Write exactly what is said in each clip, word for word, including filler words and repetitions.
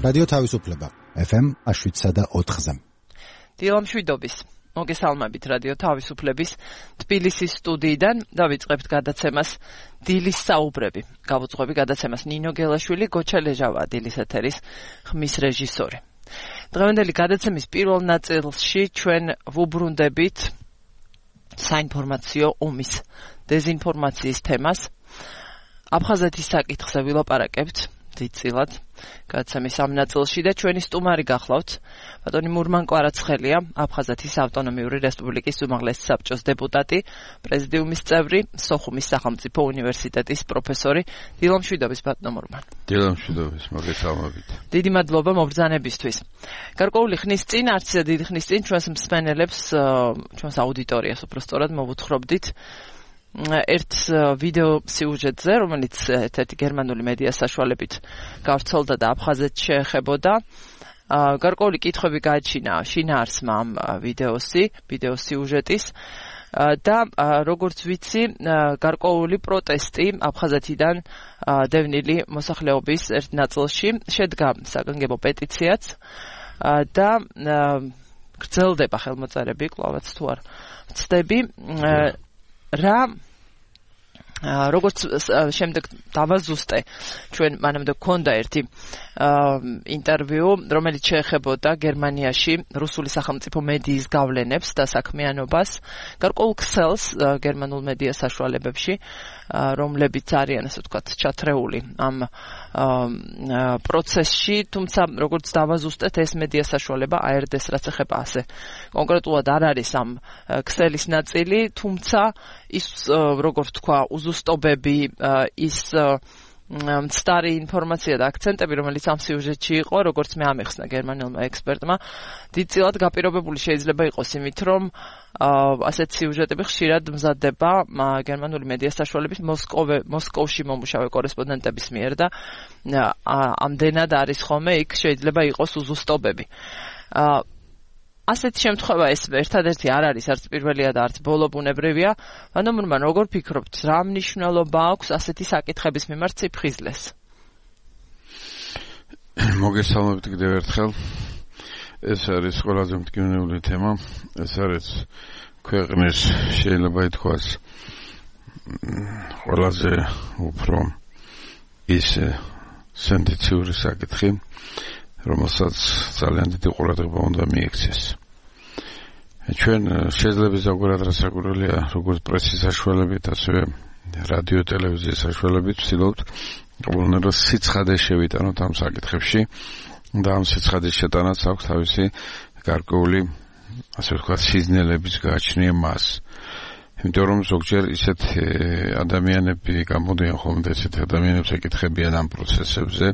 რადიო თავისუფლება ეფ ემ შვიდსა და ოთხზე. დილამშვიდობის მოგესალმებით რადიო თავისუფლების თბილისის სტუდიიდან დავიწყებთ გადაცემას დილის საუბრები. Გავუძღვები გადაცემას ნინო გელაშვილი, გოჩა ლეჟავა დილის ეთერის ხმის რეჟისორი. დღევანდელი გადაცემის პირველ ნაწილში ჩვენ ვუბრუნდებით საინფორმაციო ომის დეზინფორმაციის თემას. აფხაზეთის საკითხზე ვილაპარაკებთ დიდწილად გადაცემის ამ ნაწილში და ჩვენი სტუმარი გახლავთ ბატონი მურმან კვარაცხელია, აფხაზეთის ავტონომიური რესპუბლიკის უმაღლესი საბჭოს დეპუტატი, პრეზიდიუმის წევრი, სოხუმის სახელმწიფო უნივერსიტეტის პროფესორი. დილამშვიდობის ბატონო მურმან. დილამშვიდობის, მოგესალმებით. დიდი მადლობა მობრძანებისთვის. გარკვეული ხნის წინ, არც დიდი ხნის წინ ჩვენს მსმენელებს, ჩვენს აუდიტორიას უბრალოდ მოვუთხრობდით ერთ ვიდეო სიუჟეტზე, რომელიც ერთ-ერთი გერმანული მედია საშუალებით გავრცელდა და აფხაზეთს შეეხებოდა. გარკვეული კითხვები გააჩინა შინაარსმა ამ ვიდეოსი, ვიდეო სიუჟეტის და როგორც ვიცი, გარკვეული პროტესტი აფხაზეთიდან დევნილი მოსახლეობის ერთ ნაწილში შედგა საგანგებო პეტიციაც და გრძელდება ხელმოწერები, კვლავაც თუ არ ვცდები. რა როგორც შემდეგ დავაზუსტე, ჩვენ მანამდე გქონდა ერთი ინტერვიუ, რომელიც შეეხებოდა გერმანიაში რუსული სახელმწიფო მედიის გავლენებს და საქმიანობას, გარკვეულ ქსელს გერმანულ მედია საშუალებებში, რომლებიც არიან, ასე ვთქვათ, ჩათრეული ამ პროცესში, თუმცა როგორც დავაზუსტეთ, ეს მედია საშუალება ე ერ დე-ს რაც ეხება ასე კონკრეტულად არ არის ამ ქსელის ნაწილი, თუმცა ის როგორც თქვა, უზუსტობები, ის მცდარი ინფორმაცია და აქცენტები, რომელიც ამ სიუჟეტში იყო, როგორც მე ამეხსნა გერმანულმა ექსპერტმა, დიდწილად გაპირობებული შეიძლება იყოს იმით, რომ ასეთ სიუჟეტები ხშირად მზადდება გერმანული მედია საშუალების მოსკოვში მომუშავე კორესპონდენტების მიერ და ამდენად არის ხოლმე იქ შეიძლება იყოს უზუსტობები. ასეთი შემთხვევა ეს ერთადერთი არ არის, არც პირველია და არც ბოლობუნებრივია. ანუ მურმან, როგორ ფიქრობთ, რა მნიშვნელობა აქვს ასეთი საკითხების მიმართ სიფხიზლეს? მოგესალმებით კიდევ ერთხელ. ეს არის ყველაზე მტკივნეული თემა. ეს არის ქვეყნის, შეიძლება ითქვას, ყველაზე უფრო ის სენსიციური საკითხი, რომელსაც ძალიან დიდი ყურადღება უნდა მიექცეს. ჩვენ შეძლებს ზოგადად რასაკვირველია, როგორც პრესის საშუალებით, ასევე რადიო ტელევიზიის საშუალებით ვცდილობთ ყოველდღიურად სიცხადე შევიტანოთ ამ საკითხებში და ამ სიცხადის შეტანაც აქვს თავისი გარკვეული, ასე ვთქვათ, სიზნელების გააჩნია მას. იმიტომ რომ ზოგჯერ ისეთ ადამიანები გამოდიან ხოლმე, ესეთ ადამიანებს ეკითხებიან ამ პროცესებზე,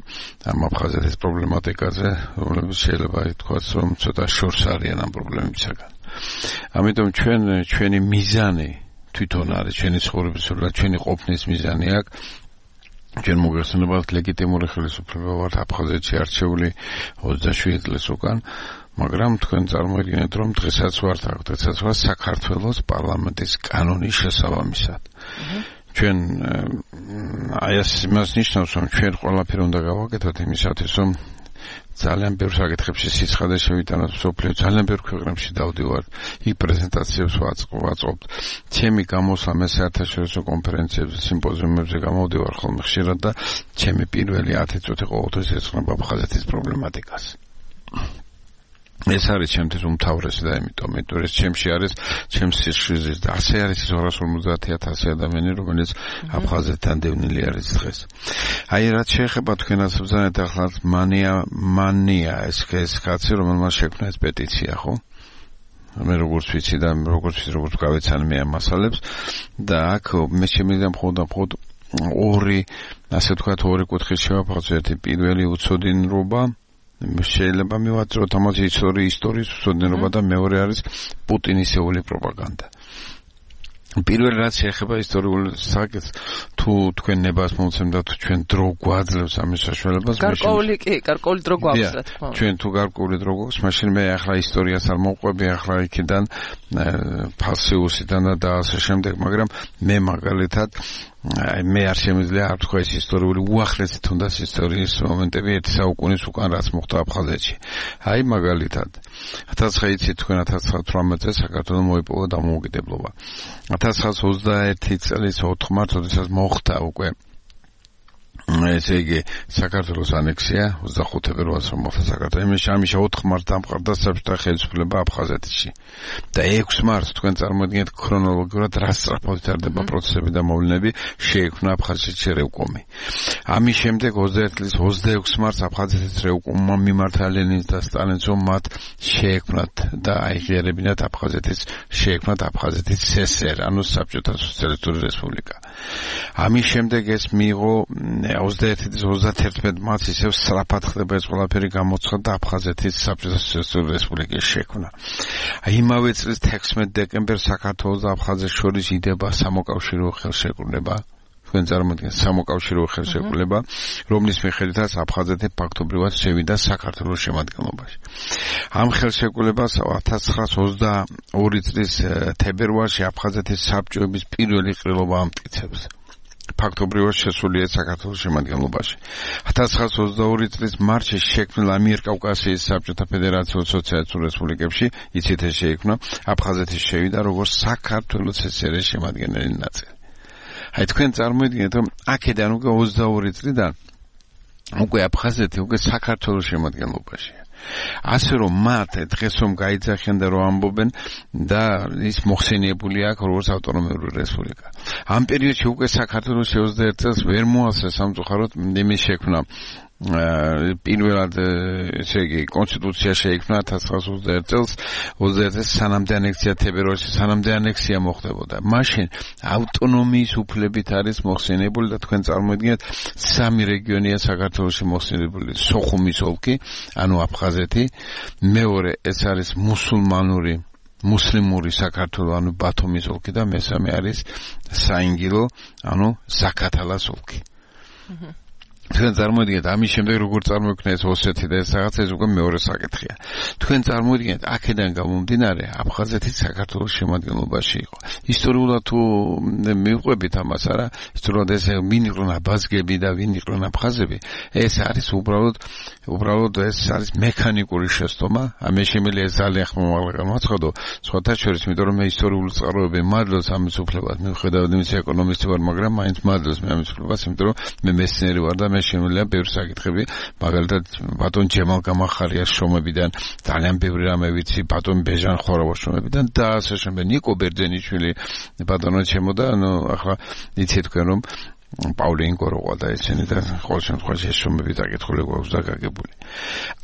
ამ აფხაზეთის პრობლემატიკაზე, რომლებიც შეიძლება ითქვას, რომ ცოტა შორს არიან ამ პრობლემებისაგან. ამიტომ ჩვენ ჩვენი მიზანი თვითონ არის, ჩვენი ცხოვრების, ჩვენი ყოფნის მიზანი აქვს. ჩვენ მოგეხსენებათ ლეგიტიმური ხელისუფლება ვართ აფხაზეთში არჩეული ოცდაშვიდი წლის უკან. მაგრამ თქვენ წარმოიდგინეთ, რომ დღესაც ვართ აქ, დღესაც ვართ საქართველოს პარლამენტის კანონის შესაბამისად. ჩვენ აი ეს იმას ნიშნავს, რომ ჩვენ ყველაფერი უნდა გავაკეთოთ იმისათვის, რომ ძალიან ბევრ საკითხებში სიცხადე შევიტანოთ მსოფლიო, ძალიან ბევრ ქვეყნებში დავდივართ, იქ პრეზენტაციებს ვაწყობთ. ჩემი გამოსვლა მე საერთაშორისო კონფერენციებზე, სიმპოზიუმებზე გამოვდივარ ხოლმე ხშირად და ჩემი პირველი ათი წუთი ყოველთვის ეძღვნება აფხაზეთის პრობლემატიკას. ეს არის ჩემთვის უმთავრესი და იმიტომ, იმიტომ ეს ჩემში არის, ჩემს სიშვიდის და ასე არის ის ორას ორმოცდაათი ათასი ადამიანი, რომელიც აფხაზეთთან დევნილი არის დღეს. აი, რაც შეეხება თქვენას ბრძანეთ ახლა მანია, მანია ეს ეს კაცი, რომელმაც შექმნა ეს პეტიცია, ხო? მე როგორც ვიცი და როგორც ვიცი, როგორც გავეცანი მე ამ მასალებს და აქ მე შემიძლია მხოლოდ მხოლოდ ორი, ასე ვთქვათ, ორი კუთხით შევაფასოთ. ერთი პირველი უცოდინრობა, შეიძლება მივაწოდოთ ამაზე ისტორიის ისტორიის უცოდინრობა და მეორე არის პუტინისეული პროპაგანდა. პირველ რაც შეეხება ისტორიულ საკითხს, თუ თუ თქვენ ნებას მომცემდა თუ ჩვენ დრო გვაძლევს ამის საშუალებას გარკვეული კი გარკვეული დრო გვაქვს რა თქმა უნდა ჩვენ თუ გარკვეული დრო გვაქვს მაშინ მე ახლა ისტორიას არ მოვყვები ახლა იქიდან ფასიუსიდან და ასე შემდეგ მაგრამ მე მაგალითად აი მე არ შემიძლია არ თქვა ეს ისტორიული უახლესი თუნდაც ისტორიის მომენტები ერთი საუკუნის უკან რაც მოხდა აფხაზეთში აი მაგალითად ათას ცხრაათი თქვენ ათას ცხრაათი წელს საქართველოს მოიპოვა დამოუკიდებლობა ათას ცხრაასი ოცდაერთი წლის ოთხ მარტს როდესაც მოხდა უკვე ესე იგი საქართველოს ანექსია ოცდახუთი ფებრუარს მოხდა საქართველოს იმის ამის ოთხ მარტს დამყარდა საბჭოთა ხელისუფლება აფხაზეთში და ექვსი მარტს თქვენ წარმოიდგინეთ ქრონოლოგიურად რა სწრაფად ვითარდება პროცესები და მოვლენები შეიქმნა აფხაზეთში რევკომი ამის შემდეგ ოცდაერთი წლის ოცდაექვსი მარტს აფხაზეთის რევკომმა მიმართა ლენინს და სტალინს რომ მათ შეექმნათ და აიღიერებინათ აფხაზეთის შეექმნათ აფხაზეთის სესერ ანუ საბჭოთა სოციალისტური რესპუბლიკა ამის შემდეგ ეს მიიღო ოცდაერთი წლის ოცდათერთმეტ მარტს ისევ სწრაფად ხდება ეს ყველაფერი გამოცხადდა აფხაზეთის საბჭოთა სოციალისტური რესპუბლიკის შექმნა. იმავე წლის თექვსმეტ დეკემბერს საქართველოს და აფხაზეთს შორის იდება სამოკავშირო ხელშეკრულება. თქვენ წარმოიდგინეთ სამოკავშირო ხელშეკრულება, რომლის მიხედვითაც აფხაზეთი ფაქტობრივად შევიდა საქართველოს შემადგენლობაში. ამ ხელშეკრულებას ათას ცხრაასი ოცდაორი წლის თებერვალში აფხაზეთის საბჭოების პირველი ყრილობა ამტკიცებს. ფაქტობრივად შესულია საქართველოს შემადგენლობაში. ათას ცხრაასი ოცდაორი წლის მარტში შექმნილ ამიერკავკასიის საბჭოთა ფედერაციულ სოციალისტურ რესპუბლიკებში იცით ეს შეიქმნა აფხაზეთის შევიდა როგორც საქართველოს სესერეს შემადგენელი ნაწილი. აი თქვენ წარმოიდგინეთ რომ აქედან უკვე ოცდაორი წლიდან უკვე აფხაზეთი უკვე საქართველოს შემადგენლობაშია. ასე რომ მათ დღეს რომ გაიძახიან და რომ ამბობენ და ის მოხსენიებული აქვს როგორც ავტონომიური რესპუბლიკა. ამ პერიოდში უკვე საქართველოს ოცდაერთი წელს ვერ მოასწრა სამწუხაროდ იმის შექმნა პირველად ესე იგი კონსტიტუცია შეიქმნა ათას ცხრაასი ოცდაერთი წელს ოცდაერთი წელს სანამდე ანექსია თებერვალში სანამდე ანექსია მოხდებოდა. მაშინ ავტონომიის უფლებით არის მოხსენიებული და თქვენ წარმოიდგინეთ სამი რეგიონია საქართველოში მოხსენიებული სოხუმის ოლქი ანუ აფხაზეთი მეორე ეს არის მუსულმანური მუსლიმური საქართველო ანუ ბათუმის ოლქი და მესამე არის საინგილო ანუ ზაქათალას ოლქი. თქვენ წარმოიდგინეთ ამის შემდეგ როგორ წარმოიქმნა ეს ოსეთი და ეს რაღაც ეს უკვე მეორე საკითხია. თქვენ წარმოიდგინეთ აქედან გამომდინარე აფხაზეთი საქართველოს შემადგენლობაში იყო. ისტორიულად თუ მივყვებით ამას არა ისტორიულად ეს ვინ იყვნენ აბაზგები და ვინ იყვნენ აფხაზები ეს არის უბრალოდ უბრალოდ ეს არის მექანიკური შეცდომა. ამე შემიძლია ძალიან ხმამაღლა გამოაცხადო სხვათა შორის იმიტომ რომ მე ისტორიული წყაროები მადლობს ამის უფლებად მივხვდავ იმის ეკონომისტი ვარ მაგრამ მაინც მადლობს მე ამის უფლებას იმიტომ რომ მე მეცნიერი ვარ და მე შემიძლია ბევრი საკითხები მაგალითად ბატონ ჯემალ გამახარიას შრომებიდან ძალიან ბევრი რამე ვიცი ბატონ ბეჟან ხორავას შრომებიდან და ასე შემდეგ ნიკო ბერძენიშვილი ბატონო ჩემო და ანუ ახლა იცით თქვენ რომ პავლინკო როყვა და ესენი და ყოველ შემთხვევაში ეს შრომები დაკითხული გვაქვს და გაგებული.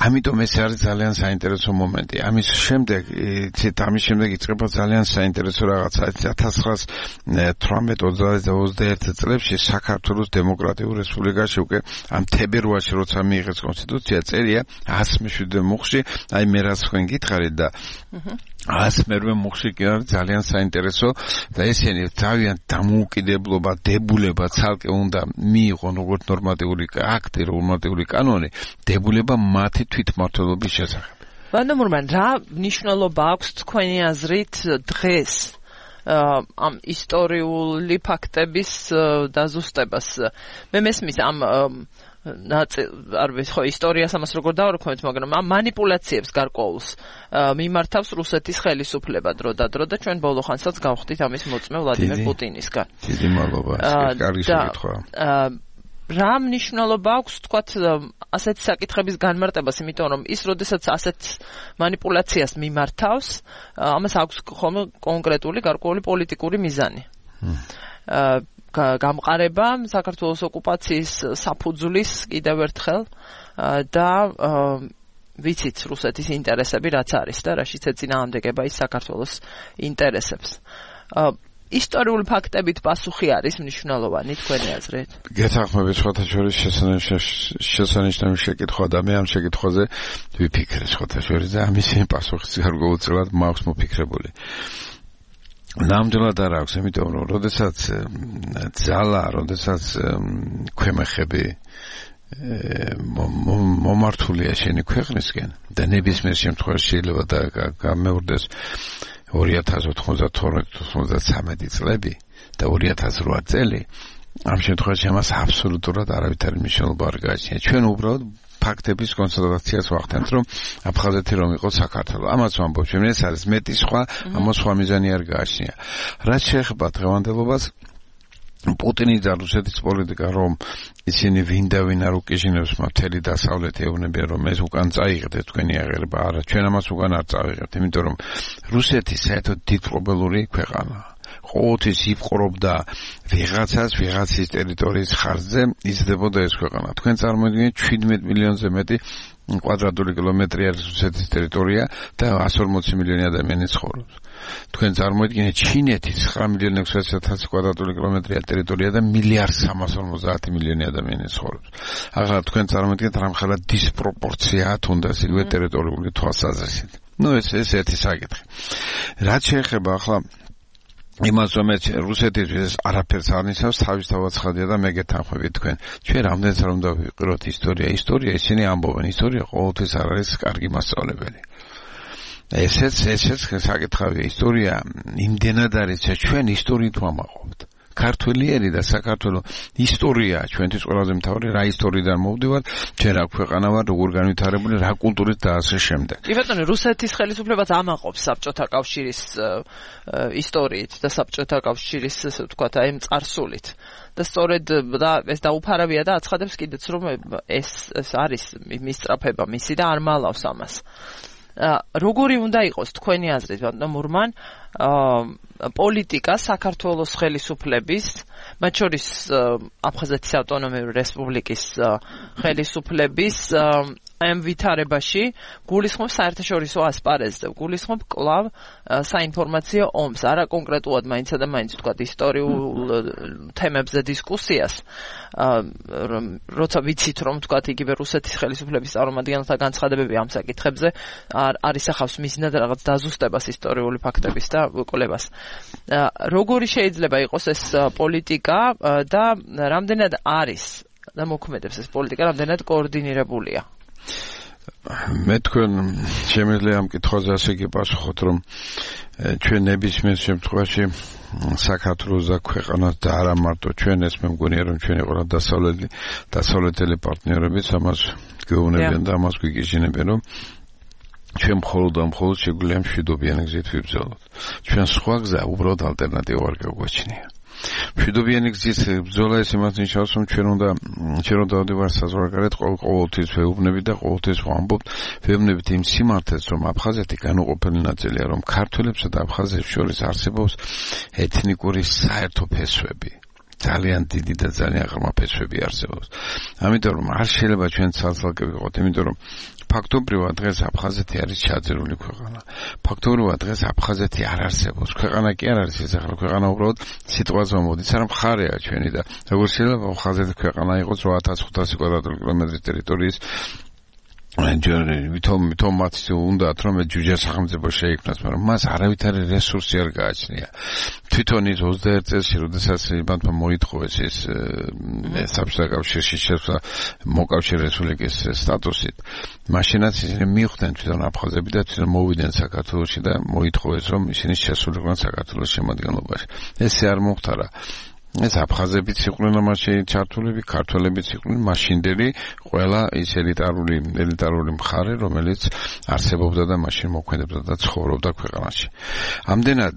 ამიტომ ეს არის ძალიან საინტერესო მომენტი. ამის შემდეგ იცით ამის შემდეგ იწყება ძალიან საინტერესო რაღაცა ათას ცხრაასი თვრამეტ ოცდაერთი წლებში საქართველოს დემოკრატიულ რესპუბლიკაში უკვე ამ თებერვალში როცა მიიღეს კონსტიტუცია წერია ას მეშვიდე მუხში აი მე რაც თქვენ გითხარით და ას მერვე მუხში კი არის ძალიან საინტერესო და ესენი ძალიან დამოუკიდებლობა დებულება ცალკე უნდა მიიღონ როგორც ნორმატიული აქტი ნორმატიული კანონი დებულება მათი თვითმმართველობის შესახებ. ვანდამურმან რა მნიშვნელობა აქვს თქვენი აზრით დღეს ამ ისტორიული ფაქტების დაზუსტებას? მე მესმის ამ არ ვიცი ხო ისტორიას ამას როგორ დავარქვით მაგრამ ამ მანიპულაციებს გარკვეულს მიმართავს რუსეთის ხელისუფლება დრო და დრო და ჩვენ ბოლო ხანსაც გავხდით ამის მოწმე ვლადიმერ პუტინისგან. დიდი მადლობა. კარგი შეკითხვა. რა მნიშვნელობა აქვს თქვათ ასეთი საკითხების განმარტებას იმიტომ რომ ის როდესაც ასეთ მანიპულაციას მიმართავს ამას აქვს ხოლმე კონკრეტული გარკვეული პოლიტიკური მიზანი. გამყარება საქართველოს ოკუპაციის საფუძვლის კიდევ ერთხელ და ვიცით რუსეთის ინტერესები რაც არის და რაშიც ეწინააღმდეგება ის საქართველოს ინტერესებს. ისტორიული ფაქტებით პასუხი არის მნიშვნელოვანი თქვენი აზრით? გეთანხმებით სხვათა შორის შესანიშნავი შეკითხვა და მე ამ შეკითხვაზე ვიფიქრე სხვათა შორის და ამის პასუხიც გარკვეულწილად მაქვს მოფიქრებული. ნამდვილად არ აქვს, იმიტომ რომ როდესაც ძალა, როდესაც ქვემეხები მომართულია შენი ქვეყნისკენ და ნებისმიერ შემთხვევაში შეიძლება და გამეორდეს ორი ათას ოთხმოცდათორმეტი ოთხმოცდათვრამეტი წლები და ორი ათას რვა წელი ამ შემთხვევაში ამას აბსოლუტურად არავითარი მნიშვნელობა არ გააჩნია. ჩვენ უბრალოდ ფაქტების კონსტატაციას ვახდენთ, რომ აფხაზეთი რომ იყო საქართველო. ამას ვამბობ, ჩვენ ეს არის მეტი სხვა, ამას სხვა მიზანი არ გააჩნია. რაც შეეხება დღევანდელობას, პუტინი და რუსეთის პოლიტიკა, რომ ისინი ვინ და ვინ არ უკიჟინებს მთელი დასავლეთი ეუბნებიან, რომ ეს უკან წაიღეთ თქვენი აღება, არა, ჩვენ ამას უკან არ წავიღებთ, იმიტომ რომ რუსეთი საერთოდ დიდპრობლემური ქვეყანაა. ყოველთვის იპყრობდა ვიღაცას, ვიღაცის ტერიტორიის ხარჯზე იზრდებოდა ეს ქვეყანა. თქვენ წარმოიდგინეთ შვიდმეტ მილიონზე მეტი კვადრატული კილომეტრი არის რუსეთის ტერიტორია და εκατს ორმოცი მილიონი ადამიანი ცხოვრობს. თქვენ წარმოიდგინეთ ჩინეთის ცხრა მილიონი ექვსმოცდაათი ათასი კვადრატული კილომეტრია ტერიტორია და მილიარდ სამას ორმოცდაათი მილიონი ადამიანი ცხოვრობს. ახლა თქვენ წარმოიდგინეთ რამხელა დისპროპორციაა თუნდაც იგივე ტერიტორიული თვალსაზრისით. ნუ ეს ეს ერთი საკითხი. რაც შეეხება ახლა იმას რომ რუსეთის არაფერს არ ნიშნავს, თავისთავად ცხადია და მე გეთანხმებით თქვენ. ჩვენ რამდენიც არ უნდა ვიყიროთ ისტორია, ისტორია ისინი ამბობენ, ისტორია ყოველთვის არ არის კარგი მასწავლებელი. ესეც ესეც საკითხავია, ისტორია იმდენად არის, ჩვენ ისტორიით ვამაყობთ. ქართველიერი და საქართველოს ისტორია ჩვენთვის ყველაზე მთავარი, რა ისტორიიდან მოვდივართ, ჩვენ რა ქვეყანა ვარ, როგორ განვითარებული, რა კულტურით და ასე შემდეგ. კი ბატონო, რუსეთის ხელისუფლებას ამაყობს საბჭოთა კავშირის ისტორიით და საბჭოთა კავშირის, ასე ვთქვათ, აი წარსულით. და სწორედ და ეს დაუფარავია და აცხადებს კიდეც, რომ ეს ეს არის მისწრაფება მისი და არ მალავს ამას. როგორი უნდა იყოს თქვენი აზრით, ბატონო მურმან, პოლიტიკა საქართველოს ხელისუფლების, მათ შორის აფხაზეთის ავტონომიური რესპუბლიკის ხელისუფლების ამ ვითარებაში გულისხმობს საერთაშორისო ასპარეზზე, გულისხმობს კვლავ საინფორმაციო ომს, არა კონკრეტულად მაინცსა და მაინც ვთქვათ ისტორიულ თემებზე დისკუსიას, როცა ვიცით რომ ვთქვათ იგივე რუსეთის ხელისუფლების წარმომადგენელთა განცხადებები ამ საკითხებზე არ ისახავს მიზნად რაღაც დაზუსტებას ისტორიული ფაქტების და კვლევას. როგორი შეიძლება იყოს ეს პოლიტიკა და რამდენად არის და მოქმედებს ეს პოლიტიკა, რამდენად კოორდინირებულია? მე თქვენ შემიძლია ამ კითხვაზე ასე გიპასუხოთ, რომ ჩვენ ნებისმიერ შემთხვევაში საქართველოს და ქვეყანას და არა მარტო ჩვენ, ეს მე მგონია რომ ჩვენი ყველა დასავლელი დასავლეთელი პარტნიორებიც ამას გეუბნებიან და ამას გვიგიჟინებიან, რომ ჩვენ მხოლოდ და მხოლოდ შეგვიძლია მშვიდობიანი გზით ვიბრძოლოთ. ჩვენ სხვა გზა უბრალოდ ალტერნატივა არ გაგვაჩნია. მშვიდობიანი გზით ბრძოლა ეს იმას ნიშნავს, რომ ჩვენ უნდა ჩვენ უნდა ვდივართ საზღვარგარეთ ყოველთვის ვეუბნებით და ყოველთვის ვამბობთ, ვეუბნებით იმ სიმართლეს, რომ აფხაზეთი განუყოფელი ნაწილია, რომ ქართველებსა და აფხაზებს შორის არსებობს ეთნიკური საერთო ფესვები. ძალიან დიდი და ძალიან ღრმა ფესვები არსებობს. ამიტომ რომ არ შეიძლება ჩვენ ცალ-ცალკე ვიყოთ, იმიტომ რომ ფაქტობრივად დღეს აფხაზეთი არის ჩაძირული ქვეყანა. ფაქტობრივად დღეს აფხაზეთი არ არსებობს. ქვეყანა კი არ არის ეს ახლა ქვეყანა უბრალოდ სიტყვაზე მოდის, არა მხარეა ჩვენი და როგორ შეიძლება აფხაზეთი ქვეყანა იყოს რვა ათას ხუთასი კვადრატული კილომეტრის ტერიტორიის ვითომ ვითომ მათ უნდათ რომ ჯუჯა სახელმწიფო შეიქმნას, მაგრამ მას არავითარი რესურსი არ გააჩნია. თვითონ ის ოცდაერთ წელს როდესაც იმათმა მოითხოვეს ეს საბჭოთა კავშირში შეცვლა მოკავშირე რესპუბლიკის სტატუსით, მაშინაც ისინი მიხვდნენ თვითონ აფხაზები და თვითონ მოვიდნენ საქართველოში და მოითხოვეს რომ ისინი შესულიყვნენ საქართველოს შემადგენლობაში. ესე არ მოხდა. ეს აფხაზებიც იყვნენ ამაში ჩართულები, ქართველებიც იყვნენ მაშინდელი ყველა ის ელიტარული ელიტარული მხარე, რომელიც არსებობდა და მაშინ მოქმედებდა და ცხოვრობდა ქვეყანაში. ამდენად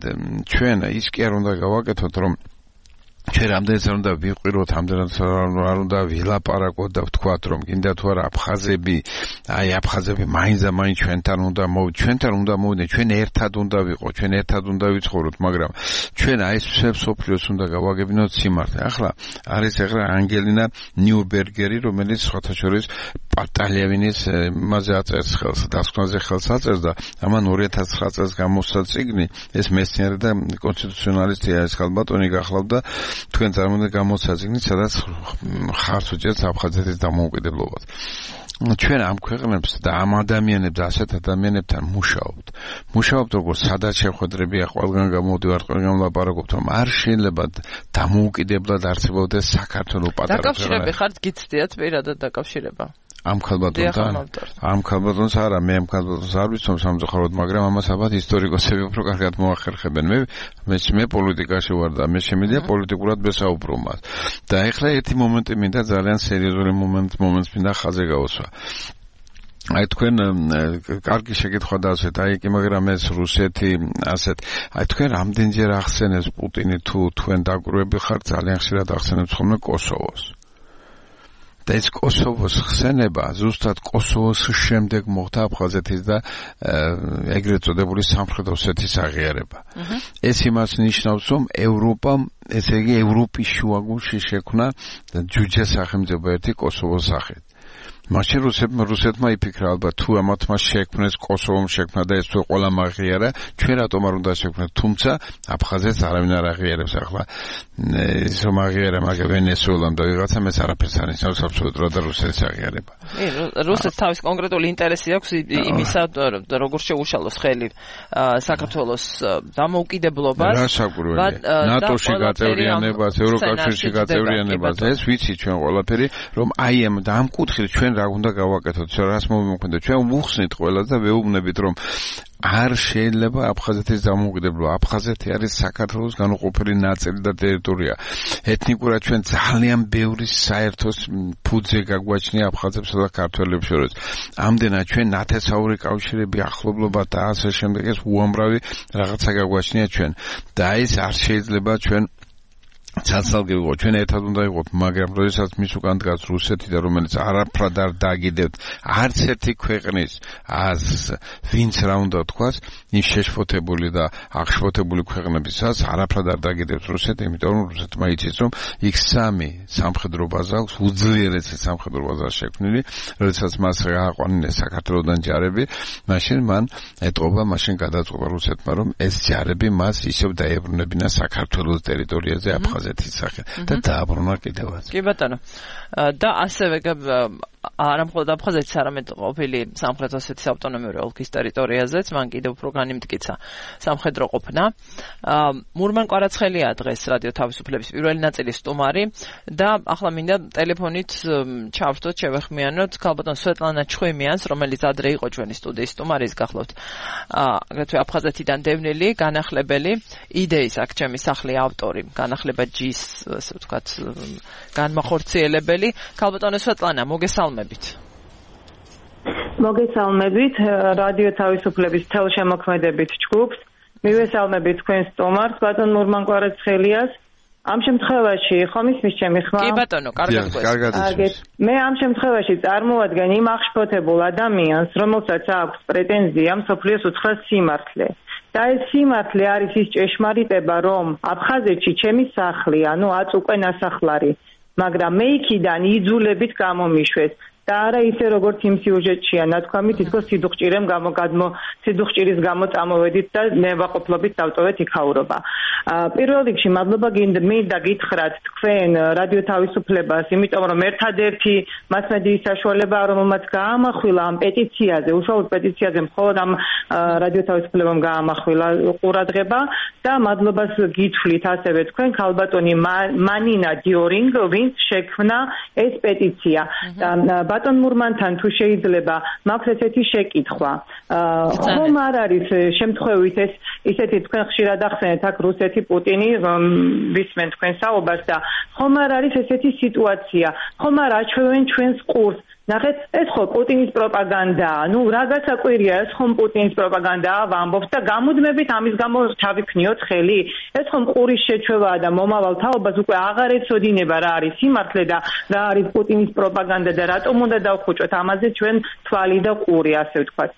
ჩვენ ის კი არ უნდა გავაკეთოთ, რომ ჩვენ რამდენიც არ უნდა ვიყიროთ, რამდენიც არ უნდა ვილაპარაკოთ და ვთქვათ, რომ გინდა თუ არა აფხაზები, აი აფხაზები მაინც და მაინც ჩვენთან უნდა მოვ ჩვენთან უნდა მოვიდნენ, ჩვენ ერთად უნდა ვიყოთ, ჩვენ ერთად უნდა ვიცხოვროთ, მაგრამ ჩვენ აი ეს სოფლიოს უნდა გავაგებინოთ სიმართლე. ახლა არის ახლა ანგელინა ნიუბერგერი, რომელიც სხვათა შორის პატალევინის მასზე აწერს ხელს, დასკვნაზე ხელს აწერს და ამან ორი ათას ცხრა წელს გამოსცა წიგნი, ეს მეცნიერი და კონსტიტუციონალისტია ეს ხალბატონი გახლავდა, თქვენ წარმოვიდგინეთ გამოსცა წიგნი, სადაც ხარს უჭერს აფხაზეთის დამოუკიდებლობას. ჩვენ ამ ქვეყნებს და ამ ადამიანებს და ასეთ ადამიანებთან მუშაობთ. მუშაობთ როგორც სადაც შეხვედრებია, ყველგან გამოდივარ, ყველგან ვლაპარაკობთ, რომ არ შეიძლება დამოუკიდებლად არსებობდეს საქართველოს პატარა ქვეყანა. დაკავშირები ხართ გიცდიათ პირადად დაკავშირება? ამ ხალბატონთან ამ ხალბატონს არა მე ამ ხალბატონს არ ვიცნობ სამწუხაროდ მაგრამ ამას ალბათ ისტორიკოსები უფრო კარგად მოახერხებენ მე მე მე პოლიტიკაში ვარ და მე შემიძლია პოლიტიკურად ვესაუბრო მას და ეხლა ერთი მომენტი მინდა ძალიან სერიოზული მომენტ მომენტს მინდა ხაზზე გავუსვა აი თქვენ კარგი შეკითხვა დავსვეთ აი კი მაგრამ ეს რუსეთი ასეთ აი თქვენ რამდენჯერ ახსენებს პუტინი თუ თქვენ დაგვრევები ხართ ძალიან ხშირად ახსენებს ხოლმე კოსოვოს და ეს კოსოვოს ხსენება ზუსტად კოსოვოს შემდეგ მოხდა აფხაზეთის და ეგრეთ წოდებული სამხრეთ ოსეთის აღიარება. ეს იმას ნიშნავს, რომ ევროპამ, ესე იგი ევროპის შუაგულში შექმნა ჯუჯა სახელმწიფო ერთი კოსოვოს სახით. მაშინ რუსეთმა რუსეთმა იფიქრა ალბათ თუ ამათმა შექმნეს კოსოვომ შექმნა და ეს თუ ყველა მაგიარა ჩვენ რატომ არ უნდა შექმნათ თუმცა აფხაზეთს არავინ არ აღიარებს ახლა ის რომ აღიარა მაგ ვენესუელამ და ვიღაცამ ეს არაფერს არ ნიშნავს აბსოლუტურად და რუსეთის აღიარება. რუსეთს თავის კონკრეტული ინტერესი აქვს იმისა როგორ შეუშალოს ხელი საქართველოს დამოუკიდებლობას ნატოში გაწევრიანებას ევროკავშირში გაწევრიანებას ეს ვიცი ჩვენ ყველაფერი რომ აი ამ და ამ კუთხით ჩვენ რა უნდა გავაკეთოთ, რას მომიყვანოთ, ჩვენ ვუხსნით ყველას და ვეუბნებით, რომ არ შეიძლება აფხაზეთის დამოუკიდებლობა. აფხაზეთი არის საქართველოს განუყოფელი ნაწილი და ტერიტორია. ეთნიკურად ჩვენ ძალიან ბევრი საერთოს ფუძე გაგვაჩნია აფხაზებსა და ქართველებს შორის. ამდენად ჩვენ ნათესაური კავშირები, ახლობლობა და ასე შემდეგ ეს უამრავი რაღაცა გაგვაჩნია ჩვენ. და ეს არ შეიძლება ჩვენ ცალ-ცალკე ვიყო, ჩვენ ერთად უნდა ვიყოთ, მაგრამ როდესაც მის უკან დგას რუსეთი და რომელიც არაფრად არ დაგიდებთ, არც ერთი ქვეყნის აზრს, ვინც რა უნდა თქვას, ის შეშფოთებული და აღშფოთებული ქვეყნებისაც არაფრად არ დაგიდებთ რუსეთი, იმიტომ რომ რუსეთმა იცის, რომ იქ სამი სამხედრო ბაზა აქვს, უძლიერესი სამხედრო ბაზა შექმნილი, როდესაც მას გააყვანინეს საქართველოსდან ჯარები, მაშინ მან ეტყობა, მაშინ გადაწყვეტა რუსეთმა, რომ ეს ჯარები მას ისევ დაებრუნებინა საქართველოს ტერიტორიაზე აფხაზ ზეთის სახე და დააბრუნა კიდევაც. კი ბატონო. და ასევე არა მხოლოდ აფხაზეთის, არამედ ყოფილი სამხრეთ ოსეთის ავტონომიური ოლქის ტერიტორიაზეც მან კიდევ უფრო განიმტკიცა სამხედრო ყოფნა. მურმან კვარაცხელია დღეს რადიო თავისუფლების პირველი ნაწილის სტუმარი და ახლა მინდა ტელეფონით ჩავთოთ, შევეხმიანოთ ქალბატონ სვეტლანა ჩხვიმიანს, რომელიც ადრე იყო ჩვენი სტუდიის სტუმარი, ის გახლავთ აგრეთვე აფხაზეთიდან დევნილი, განახლებელი, იდეის აქ ჩემი სახლი ავტორი, განახლება ჯის, ასე ვთქვათ, განმახორციელებელი. ქალბატონო სვეტლანა, მოგესალმებით. მოგესალმებით რადიო თავისუფლების თელშემოქმედებით ჯგუფს. მივესალმებით თქვენს სტუმარს, ბატონ მურმან კვარაცხელიას. ამ შემთხვევაში ხომ ისმის ჩემი ხმა? კი ბატონო, კარგად გესმის. მე ამ შემთხვევაში წარმოადგენ იმ აღშფოთებულ ადამიანს, რომელსაც აქვს პრეტენზია მსოფლიოს უცხრას სიმართლე. და ეს სიმართლე არის ის ჭეშმარიტება, რომ აფხაზეთში ჩემი სახლი, ანუ აწ უკვე ნასახლარი, მაგრამ მე იქიდან იძულებით გამომიშვეს. და არა ისე როგორც იმ სიუჟეტშია ნათქვამი, თითქოს სიდუხჭირემ გამოგადმო სიდუხჭირის გამო წამოვედით და ნებაყოფლობით დავტოვეთ იქაურობა. პირველ რიგში მადლობა მინდა გითხრათ თქვენ რადიო თავისუფლებას, იმიტომ რომ ერთადერთი მასმედიის საშუალება, რომელმაც გაამახვილა ამ პეტიციაზე, უშუალოდ პეტიციაზე მხოლოდ ამ რადიო თავისუფლებამ გაამახვილა ყურადღება და მადლობას გითვლით ასევე თქვენ ქალბატონი მანინა დიორინგ, ვინც შექმნა ეს პეტიცია. ბატონ მურმანთან თუ შეიძლება მაქვს ესეთი შეკითხვა. ხომ არ არის შემთხვევით ეს ისეთი თქვენ ხშირად ახსენეთ აქ რუსეთი პუტინი ვისმენ თქვენ საუბარს და ხომ არ არის ესეთი სიტუაცია, ხომ არ აჩვევენ ჩვენს ყურს ნახეთ, ეს ხო პუტინის პროპაგანდაა. ნუ რა გასაკვირია, ეს ხომ პუტინის პროპაგანდაა, ვამბობთ და გამუდმებით ამის გამო ჩავიქნიოთ ხელი. ეს ხომ ყურის შეჩვევაა და მომავალ თაობას უკვე აღარ ეცოდინება რა არის სიმართლე და რა არის პუტინის პროპაგანდა და რატომ უნდა დავხუჭოთ ამაზე ჩვენ თვალი და ყური, ასე ვთქვათ.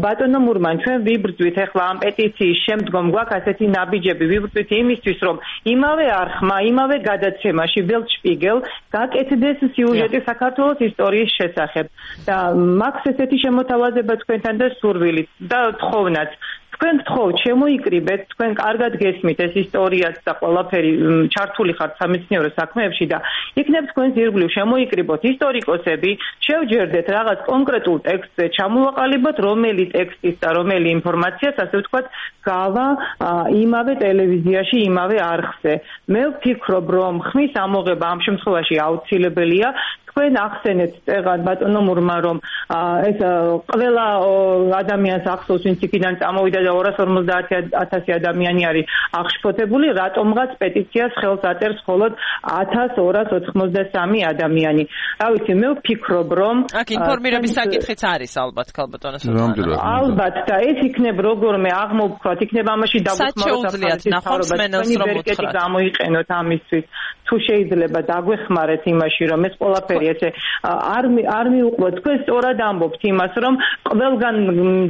ბატონო მურმან, ჩვენ ვიბრძვით ახლა ამ პეტიციის შემდგომ გვაქვს ასეთი ნაბიჯები, ვიბრძვით იმისთვის, რომ იმავე არხმა, იმავე გადაცემაში Welt Spiegel გაკეთდეს სიუჟეტი საქართველოს ისტორიის შესახებ და მაქვს ესეთი შემოთავაზება თქვენთან და სურვილით და თხოვნაც თქვენ გთხოვთ შემოიკრიბეთ თქვენ კარგად გესმით ეს ისტორიაც და ყველაფერი ჩართული ხართ სამეცნიერო საქმეებში და იქნებ თქვენს ირგვლივ შემოიკრიბოთ ისტორიკოსები შევჯერდეთ რაღაც კონკრეტულ ტექსტზე ჩამოვაყალიბოთ რომელი ტექსტის და რომელი ინფორმაციას ასე ვთქვათ გავა იმავე ტელევიზიაში იმავე არხზე მე ვფიქრობ რომ ხმის ამოღება ამ შემთხვევაში აუცილებელია თქვენ ახსენეთ წეგან ბატონო მურმა რომ ეს ყველა ადამიანს ახსოვს ვინც იქიდან წამოვიდა და ორას ორმოცდაათი ათასი ადამიანი არის აღშფოთებული რატომღაც პეტიციას ხელს აწერს მხოლოდ ათას ორას ოთხმოცდასამი ადამიანი რა ვიცი მე ვფიქრობ რომ აქ ინფორმირების საკითხიც არის ალბათ ქალბატონო ალბათ და ეს იქნებ როგორმე აღმოვქვათ იქნება ამაში დაგვეხმაროთ ახალი გამოიყენოთ ამისთვის თუ შეიძლება დაგვეხმარეთ იმაში რომ ეს ყველაფერი ესე არ არ მიუყვოთ თქვენ სწორად ამბობთ იმას რომ ყველგან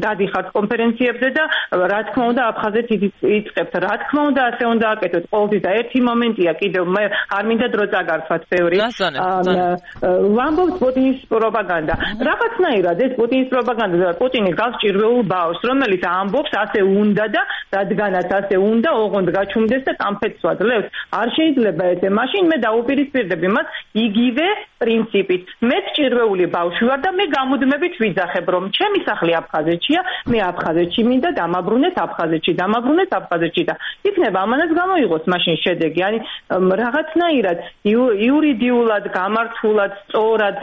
დადიხართ კონფერენციებზე და რა თქმა უნდა აფხაზეთ იწყებთ რა თქმა უნდა ასე უნდა აკეთოთ ყოველთვის და ერთი მომენტია კიდევ მე არ მინდა დრო წაგარქვათ ბევრი ვამბობთ პუტინის პროპაგანდა რაღაცნაირად ეს პუტინის პროპაგანდა და პუტინი გავს ჭირვეულ ბავშვს რომელიც ამბობს ასე უნდა და რადგანაც ასე უნდა ოღონდ გაჩუმდეს და კამფეთს ვაძლევს არ შეიძლება ესე მაშინ მე დაუპირისპირდებ იმას იგივე პრინციპით მე ჭირვეული ბავშვი ვარ და მე გამუდმებით ვიძახებ რომ ჩემი სახლი აფხაზეთშია მე აფხაზეთში მინდა დამაბრუნეთ აფხაზეთში დამაბრუნეთ აფხაზეთში და იქნება ამანაც გამოიღოს მაშინ შედეგი ani რაღაცნაირად იურიდიულად გამართულად სწორად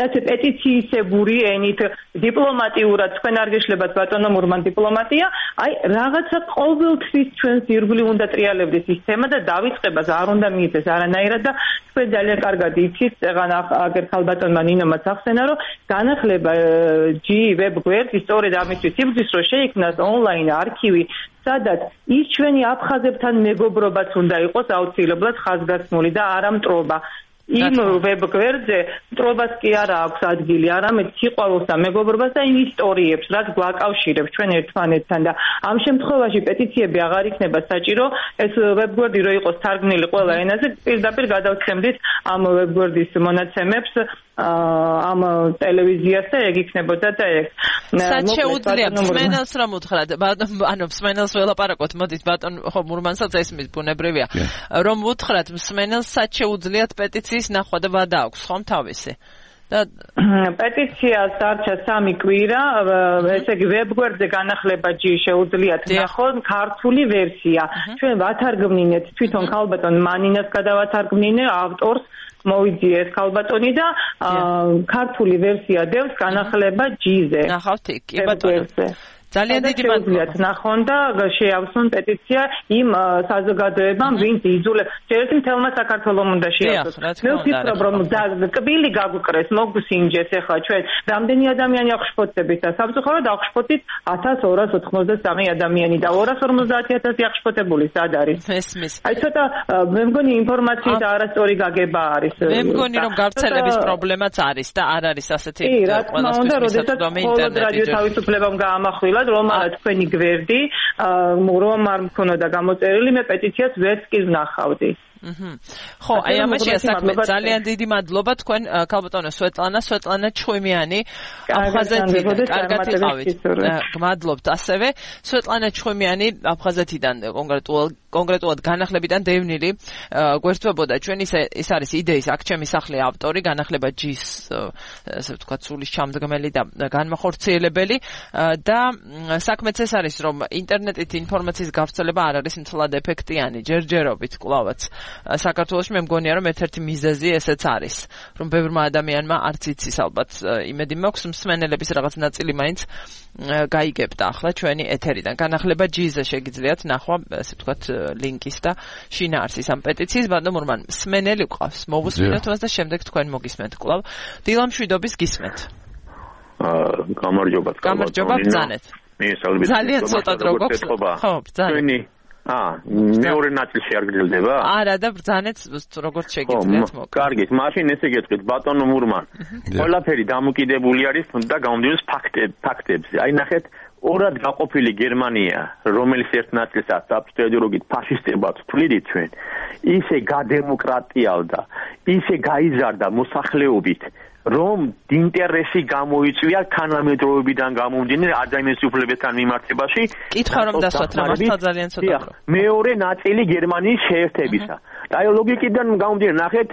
ასე პეტიციისებური ენით დიპლომატიურად თქვენ არ გეშლებათ ბატონო მურმან დიპლომატია აი რაღაცა ყოველთვის ჩვენს ირგვლივ უნდა ტრიალებდეს სისტემა და დავიწყებას არ უნდა მიიწეს არანაირად და თქვენ ძალიან კარგად იცით წეგან აგერ ქალბატონმა ნინომაც ახსენა რომ განახლება ჯი ვებ გვერდი სწორედ ამისთვის იბრძვის რომ შეიქმნას ონლაინ არქივი სადაც ის ჩვენი აფხაზებთან მეგობრობაც უნდა იყოს აუცილებლად ხაზგასმული და არა მტრობა იმ ვებ გვერდზე მტრობას კი არა აქვს ადგილი, არამედ სიყვარულს და მეგობრობას და ისტორიებს, რაც გვაკავშირებს ჩვენ ერთმანეთთან და ამ შემთხვევაში პეტიციები აღარ იქნება საჭირო, ეს ვებ გვერდი რო იყოს თარგმნილი ყველა ენაზე, პირდაპირ გადავცემდით ამ ვებ გვერდის მონაცემებს ამ ტელევიზიას და ეგ იქნებოდა და ეგ. Სად შეუძლიათ მსმენელს რომ უთხრათ, ანუ მსმენელს ველაპარაკოთ, მოდით ბატონ ხო მურმანსაც ესმის ბუნებრივია, რომ უთხრათ მსმენელს სად შეუძლიათ პეტიციის ნახვა და ვადა აქვს ხომ თავისი. პეტიციას დარჩა სამი კვირა, ესე იგი ვებგვერდზე განახლება ჯი შეუძლიათ ნახოთ ქართული ვერსია. ჩვენ ვათარგმნინეთ თვითონ ქალბატონ მანინას გადავათარგმნინე ავტორს მოვიძიეს ქალბატონი და ქართული ვერსია დევს განახლება ჯიზე. ნახავთ იქ, კი ბატონო. ძალიან დიდი მადლობა ნახონ და შეავსონ პეტიცია იმ საზოგადოებამ ვინც იძულებს შეიძლება მთელმა საქართველოს უნდა შეავსოს მე ვფიქრობ რომ კბილი გაგვკრეს მოგსინჯეს ახლა ჩვენ რამდენი ადამიანი აღშფოთებით და სამწუხაროდ აღშფოთით ათას ორას ოთხმოცდასამი ადამიანი და ორას ორმოცდაათი ათასი აღშფოთებული სად არის ესმის აი ცოტა მე მგონი ინფორმაციის და არასწორი გაგება არის მე მგონი რომ გავრცელების პრობლემაც არის და არ არის ასეთი ყველასთვის მისაწვდომი ინტერნეტი რადიო თავისუფლებამ გაამახვილა რომ არა თქვენი გვერდი რომ არ მქონოდა გამოწერილი მე პეტიციას ვერც კი ვნახავდი. ხო, აი ამაშია საქმე. ძალიან დიდი მადლობა თქვენ ქალბატონო სვეტლანა, სვეტლანა ჩხვიმიანი აფხაზეთიდან. კარგად იყავით. გმადლობთ ასევე. სვეტლანა ჩხვიმიანი აფხაზეთიდან კონკრეტულად კონკრეტულად განახლებიდან დევნილი გვერდთვებოდა ჩვენ ის ის არის იდეის აქ ჩემი სახლი ავტორი განახლება ჯის ასე ვთქვათ სულის ჩამდგმელი და განმახორციელებელი და საქმეც ეს არის რომ ინტერნეტით ინფორმაციის გავრცელება არ არის მთლად ეფექტიანი ჯერჯერობით კლავაც საქართველოში მე მგონია რომ ერთ-ერთი მიზეზი ესეც არის რომ ბევრმა ადამიანმა არც იცის ალბათ იმედი მაქვს მსმენელების რაღაც ნაწილი მაინც გაიგებდა ახლა ჩვენი ეთერიდან განახლება ჯიზე შეგიძლიათ ნახვა ასე ვთქვათ ლინკის და შინაარსის ამ პეტიციის ბატონ მურმან მსმენელი ყავს მოვუსმინოთ მას და შემდეგ თქვენ მოგისმენთ კვლავ დილამშვიდობის გისმენთ გამარჯობა გამარჯობა ბრძანეთ ძალიან ცოტა დრო გვაქვს ხო ბრძანეთ აა მეორე ნაწილში არ გძლდება? არა და ბრძანეთ როგორც შეგიძლიათ მოკ. კარგი, მაშინ ესე გეტყვით ბატონო მურმან. ყველაფერი დამოკიდებული არის და გამოდიოს ფაქტებზე. აი ნახეთ, ორად გაყოფილი გერმანია, რომელიც ერთ ნაწილსაც აბსოლუტურად ფაშისტებად თვლიდით ჩვენ, ისე გადემოკრატიალდა, ისე გაიზარდა მოსახლეობით რომ ინტერესი გამოიწვია თანამედროვეობიდან გამომდინარე ადამიანის უფლებებთან მიმართებაში. კითხვა რომ დასვათ რა მასთან ძალიან ცოტა. მეორე ნაწილი გერმანიის შეერთებისა. და აი ლოგიკიდან გამომდინარე ნახეთ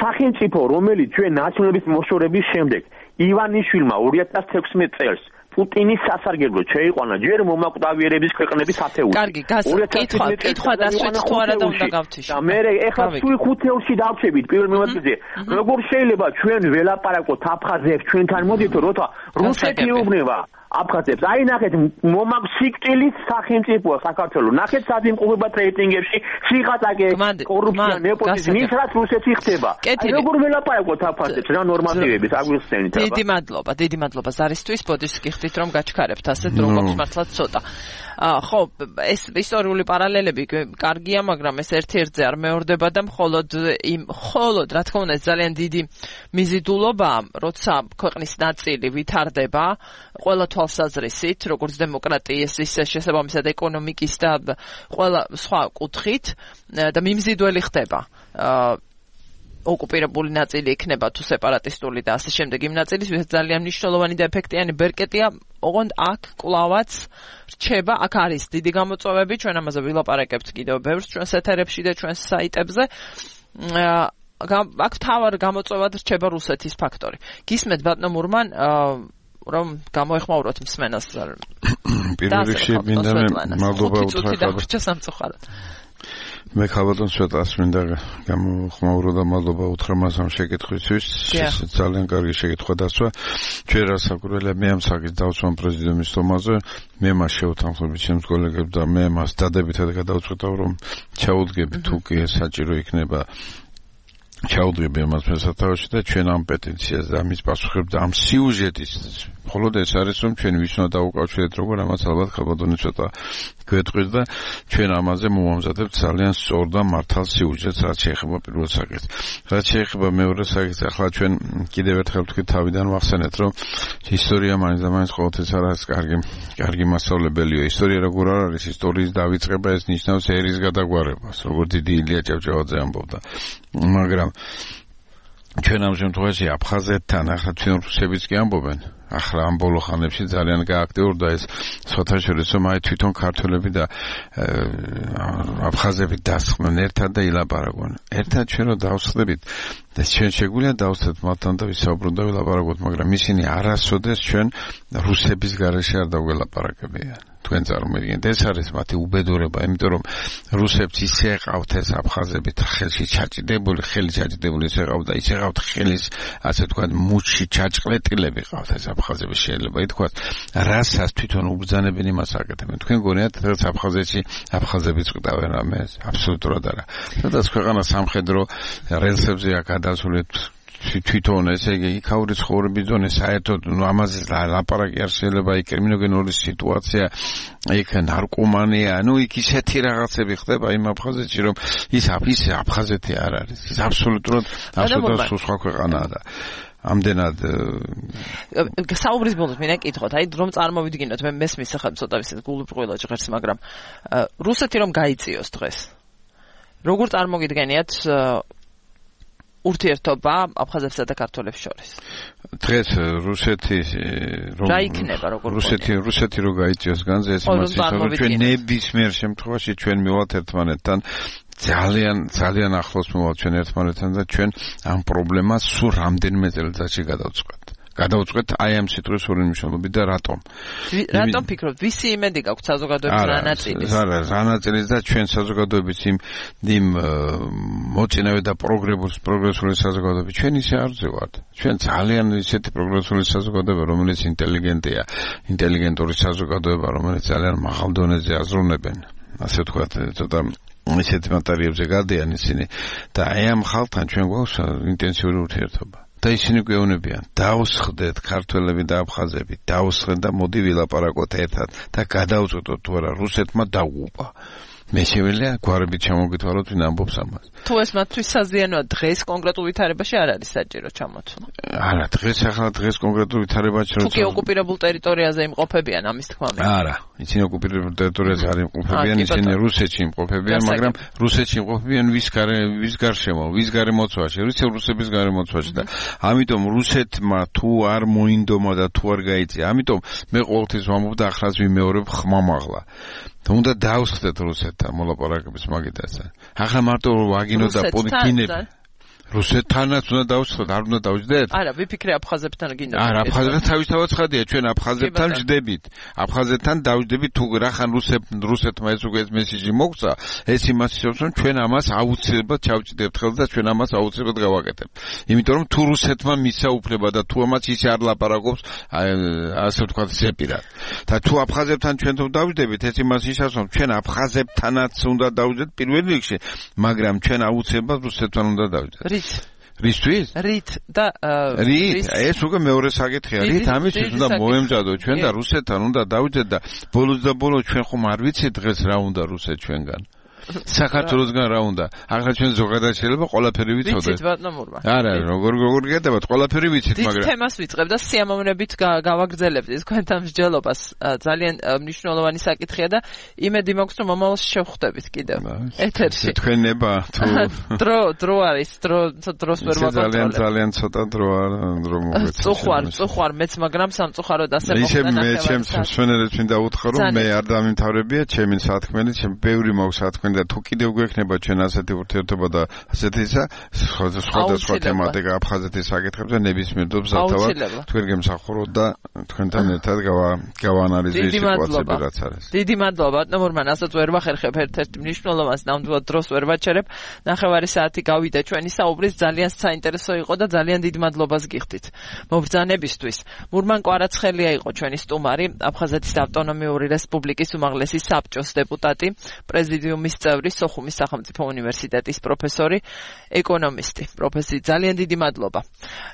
სახელმწიფო რომელიც ჩვენ ნაციონალების მოშორების შემდეგ ივანიშვილმა ორი ათას თექვსმეტ წელს პუტინის სასარგებლოდ შეიყვანა ჯერ მომაკვდავიერების ქვეყნების ათეული. კარგი, კითხვა, კითხვა დასვით თუ არა და უნდა გავთიშოთ. და მე ეხლა სულ ხუთეულში დავჩებით პირველ მიმართულზე. როგორ შეიძლება ჩვენ ველაპარაკოთ აფხაზებს ჩვენთან მოდით როცა რუსეთი ეუბნება აფხაზებს. აი ნახეთ მომაკვსიკტილის სახელმწიფოა საქართველოს. ნახეთ სად იმყოფებათ რეიტინგებში სიღატაკე კორუფცია ნეპოტიზმი ის რაც რუსეთი ხდება. აი როგორ ველაპარაკოთ აფხაზებს რა ნორმატივების აგვიხსენით. დიდი მადლობა, დიდი მადლობა ზარისთვის. ბოდიშს გიხდით რომ გაჩქარებთ ასეთ რომ გვაქვს მართლაც ცოტა. ხო, ეს ისტორიული პარალელები კარგია, მაგრამ ეს ერთ-ერთზე არ მეორდება და მხოლოდ იმ მხოლოდ რა თქმა უნდა ძალიან დიდი მიზიდულობაა, როცა ქვეყნის ნაწილი ვითარდება ყველა თვალსაზრისით, როგორც დემოკრატიის, ისე შესაბამისად ეკონომიკის და ყველა სხვა კუთხით და მიმზიდველი ხდება. ოკუპირებული ნაწილი იქნება თუ სეპარატისტული და ასე შემდეგ იმ ნაწილისთვის ძალიან მნიშვნელოვანი და ეფექტიანი ბერკეტია, ოღონდ აქ კლავაც რჩება, აქ არის დიდი გამოწვევები, ჩვენ ამაზე ვილაპარაკებთ კიდევ ბევრს ჩვენს ეთერებში და ჩვენს საიტებზე. აქ თავარ გამოწვევად რჩება რუსეთის ფაქტორი. გისმენთ ბატონო მურმან, რომ გამოეხმაუროთ მსმენელს. პირველ რიგში მინდა მადლობა უთხრა. მე ხალბატონ ცოტას მინდა გამოხმაურო და მადლობა უთხრა მას ამ შეკითხვისთვის. ძალიან კარგი შეკითხვა დასვა. ჩვენ რასაკვირველია მე ამ საკითხს დავსვამ პრეზიდენტის თომაზე, მე მას შევთანხმები ჩემს კოლეგებს და მე მას დადებითად გადავწყვეტავ რომ ჩაუდგები თუ კი საჭირო იქნება ჩაუდგები ამას მესათავში და ჩვენ ამ პეტიციას და ამის პასუხებს და ამ სიუჟეტის მხოლოდ ეს არის რომ ჩვენ ვის უნდა დაუკავშირეთ როგორ ამას ალბათ ხალბატონი ცოტა გვეტყვის და ჩვენ ამაზე მოვამზადებთ ძალიან სწორ და მართალ სიუჟეტს რაც შეეხება პირველ საკითხს. რაც შეეხება მეორე საკითხს, ახლა ჩვენ კიდევ ერთხელ თქვით თავიდან ვახსენეთ რომ ისტორია მაინც და მაინც ყოველთვის არ არის კარგი კარგი მასწავლებელია. ისტორია როგორ არ არის, ისტორიის დავიწყება ეს ნიშნავს ერის გადაგვარებას, როგორც დიდი ილია ჭავჭავაძე ამბობდა. მაგრამ ჩვენ ამ შემთხვევაში აფხაზეთთან ახლა ჩვენ რუსებიც კი ამბობენ. ახლა ამ ბოლო ხანებში ძალიან გააქტიურდა ეს საერთაშორისო რომ აი თვითონ ქართველები და აფხაზები დასხმენ ერთად და ილაპარაკონ. ერთად ჩვენ რო დავსხდებით და ჩვენ შეგვიძლია დავსხდეთ მათთან და ვისაუბროთ და ვილაპარაკოთ, მაგრამ ისინი არასოდეს ჩვენ რუსების გარეშე არ დავგელაპარაკებიან. თქვენ წარმოგიდგენთ, ეს არის მათი უბედურება, იმიტომ რომ რუსებს ისე ეყავთ ეს აფხაზები ხელში ჩაჭიდებული, ხელი ჩაჭიდებული ისე ეყავთ და ისე ეყავთ ხელის, ასე თქვა, მუჩში ჩაჭყლეტილები ყავთ ეს აფხაზები შეიძლება ითქვას, რასაც თვითონ უბრძანებენ იმას აკეთებენ. თქვენ გონიათ, რომ აფხაზეთში აფხაზებიც ყდავენ რამეს? აბსოლუტურად არა. სადაც ქვეყანა სამხედრო რელსებზეა გადასულეთ თვითონ ესე იგი იქაური ცხოვრების ზონე საერთოდ ამაზე ლაპარაკი არ შეიძლება, იქ კრიმინოგენური სიტუაცია, იქ ნარკომანია, ну იქ ისეთი რაღაცები ხდება იმ აფხაზეთში რომ ის ის აფხაზეთი არ არის, ის აბსოლუტურად აბსოლუტურად სხვა ქვეყანაა და ამდენად საუბრის ბოლოს მინდა კითხოთ, აი რომ წარმოვიდგინოთ, მე მესმის ახლა ცოტა ისე გულუბრყვილო ჟღერს, მაგრამ რუსეთი რომ გაიწიოს დღეს, როგორ წარმოგიდგენიათ ურთიერთობა აფხაზებსა და ქართველებს შორის? დღეს რუსეთი რომ რა იქნება როგორ რუსეთი რუსეთი რო გაიწიოს განზე ეს მას ისე ჩვენ ნებისმიერ შემთხვევაში ჩვენ მივალთ ერთმანეთთან ძალიან ძალიან ახლოს მივალთ ჩვენ ერთმანეთთან და ჩვენ ამ პრობლემას სულ რამდენიმე წელიწადში გადავწყვეტ. გადავწყვეტ აი ამ სიტყვის ორი მნიშვნელობით და რატომ? რატომ ფიქრობთ, ვისი იმედი გაქვთ საზოგადოების რა ნაწილის? არა, რა ნაწილის და ჩვენ საზოგადოების იმ იმ მოწინავე და პროგრესული პროგრესული საზოგადოება ჩვენ ისე არ ვზევართ. ჩვენ ძალიან ისეთი პროგრესული საზოგადოება, რომელიც ინტელიგენტია, ინტელიგენტური საზოგადოება, რომელიც ძალიან მაღალ დონეზე აზროვნებენ. ასე ვთქვათ, ცოტა ისეთ მატერიებზე გადიან ისინი და აი ამ ხალხთან ჩვენ გვაქვს ინტენსიური ურთიერთობა. და ისინი გვეუბნებიან, დავსხდეთ ქართველები და აფხაზები, დავსხდეთ და მოდი ვილაპარაკოთ ერთად და გადავწყვეტოთ თუ არა რუსეთმა დაუღუპა. მე შეველია გვარებით ჩამოგითვალოთ ვინ ამბობს ამას. თუ ეს მათთვის საზიანოა დღეს კონკრეტულ ვითარებაში არ არის საჭირო ჩამოთვლა. არა, დღეს ახლა დღეს კონკრეტულ ვითარებაში როცა თუ კი ოკუპირებულ ტერიტორიაზე იმყოფებიან ამის თქმა მინდა. არა, ისინი ოკუპირებულ ტერიტორიაზე არ იმყოფებიან, ისინი რუსეთში იმყოფებიან, მაგრამ რუსეთში იმყოფებიან ვის გარე ვის გარშემო, ვის გარემოცვაში, რუსი რუსების გარემოცვაში და ამიტომ რუსეთმა თუ არ მოინდომა და თუ არ გაიწია, ამიტომ მე ყოველთვის ვამბობ და ახლაც ვიმეორებ ხმამაღლა. თუნდა დავსხდეთ რუსეთთან მოლაპარაკების მაგიდასთან. ახლა მარტო ვაგინო და პოლიტიკინები რუსეთთანაც უნდა დავსხდეთ, არ უნდა დავждდეთ? არა, ვიფიქრე აფხაზებთან გინდა. არა, აფხაზებთან თავისთავად ხადია, ჩვენ აფხაზებთან ვждდებით. აფხაზებთან დავждდებით, თუ რახან რუსეთ რუსეთმა ეს უკვე მესიჯი მოგცა, ეს იმას ისევს, რომ ჩვენ ამას აუცილებლად ჩავჭიდებთ ხელს და ჩვენ ამას აუცილებლად გავაკეთებთ. იმიტომ რომ თუ რუსეთმა მისცა უფლება და თუ ამას ისე არ ლაპარაკობს, ასე ვთქვათ, ზეპირად. და თუ აფხაზებთან ჩვენ თუ დავждდებით, ეს იმას ისევს, რომ ჩვენ აფხაზებთანაც უნდა დავждდეთ პირველ რიგში, მაგრამ ჩვენ აუცილებლად რუსეთთან უნდა დავждდეთ. რისთვის? რით და რით? ეს უკვე მეორე საკითხია. რით ამისთვის უნდა მოემზადოთ ჩვენ და რუსეთთან უნდა დავждდეთ და ბოლოს და ბოლოს ჩვენ ხომ არ ვიცით დღეს რა უნდა რუსეთ ჩვენგან. საქართველოსგან რა უნდა? ახლა ჩვენ ზოგადად შეიძლება ყველაფერი ვიცოდეთ. ვიცით ბატონურმა. არა, როგორ როგორ გეტებათ, ყველაფერი ვიცით, მაგრამ თემას ვიწყებ და სიამოვნებით გავაგრძელებთ ეს თქვენთან მსჯელობას. ძალიან მნიშვნელოვანი საკითხია და იმედი მაქვს რომ მომავალში შევხვდებით კიდევ ეთერში. თქვენება თუ დრო დრო არის, დრო დროს ვერ ვაკონტროლებ. ძალიან ძალიან ცოტა დრო დრო მოგეცე. წუხვარ, წუხვარ მეც, მაგრამ სამწუხაროდ ასე მოხდა. ისე მე ჩემს მსვენელებს მინდა უთხრა რომ მე არ დამიმთავრებია ჩემი სათქმელი, ჩემ ბევრი მაქვს სათქმელი და თუ კიდევ გვექნება ჩვენ ასეთი ურთიერთობა და ასეთი ისა სხვადასხვა თემატიკა აფხაზეთის საკითხებზე ნებისმიერ დობს სათავად თქვენ გემსახუროთ და თქვენთან ერთად გავაანალიზებთ სიტუაციები რაც არის. დიდი მადლობა ბატონურმან, ასაც ვერ ვახერხებ ერთ-ერთ მნიშვნელოვანს ნამდვილად დროს ვერ ვაჩერებ. ნახევარი საათი გავიდა ჩვენი საუბრის, ძალიან საინტერესო იყო და ძალიან დიდ მადლობას გიხდით მობრძანებისთვის. მურმან კვარაცხელია იყო ჩვენი სტუმარი, აფხაზეთის ავტონომიური რესპუბლიკის უმაღლესი საბჭოს დეპუტატი, პრეზიდიუმის წევრი, სოხუმის სახელმწიფო უნივერსიტეტის პროფესორი, ეკონომისტი. პროფესორი, ძალიან დიდი მადლობა.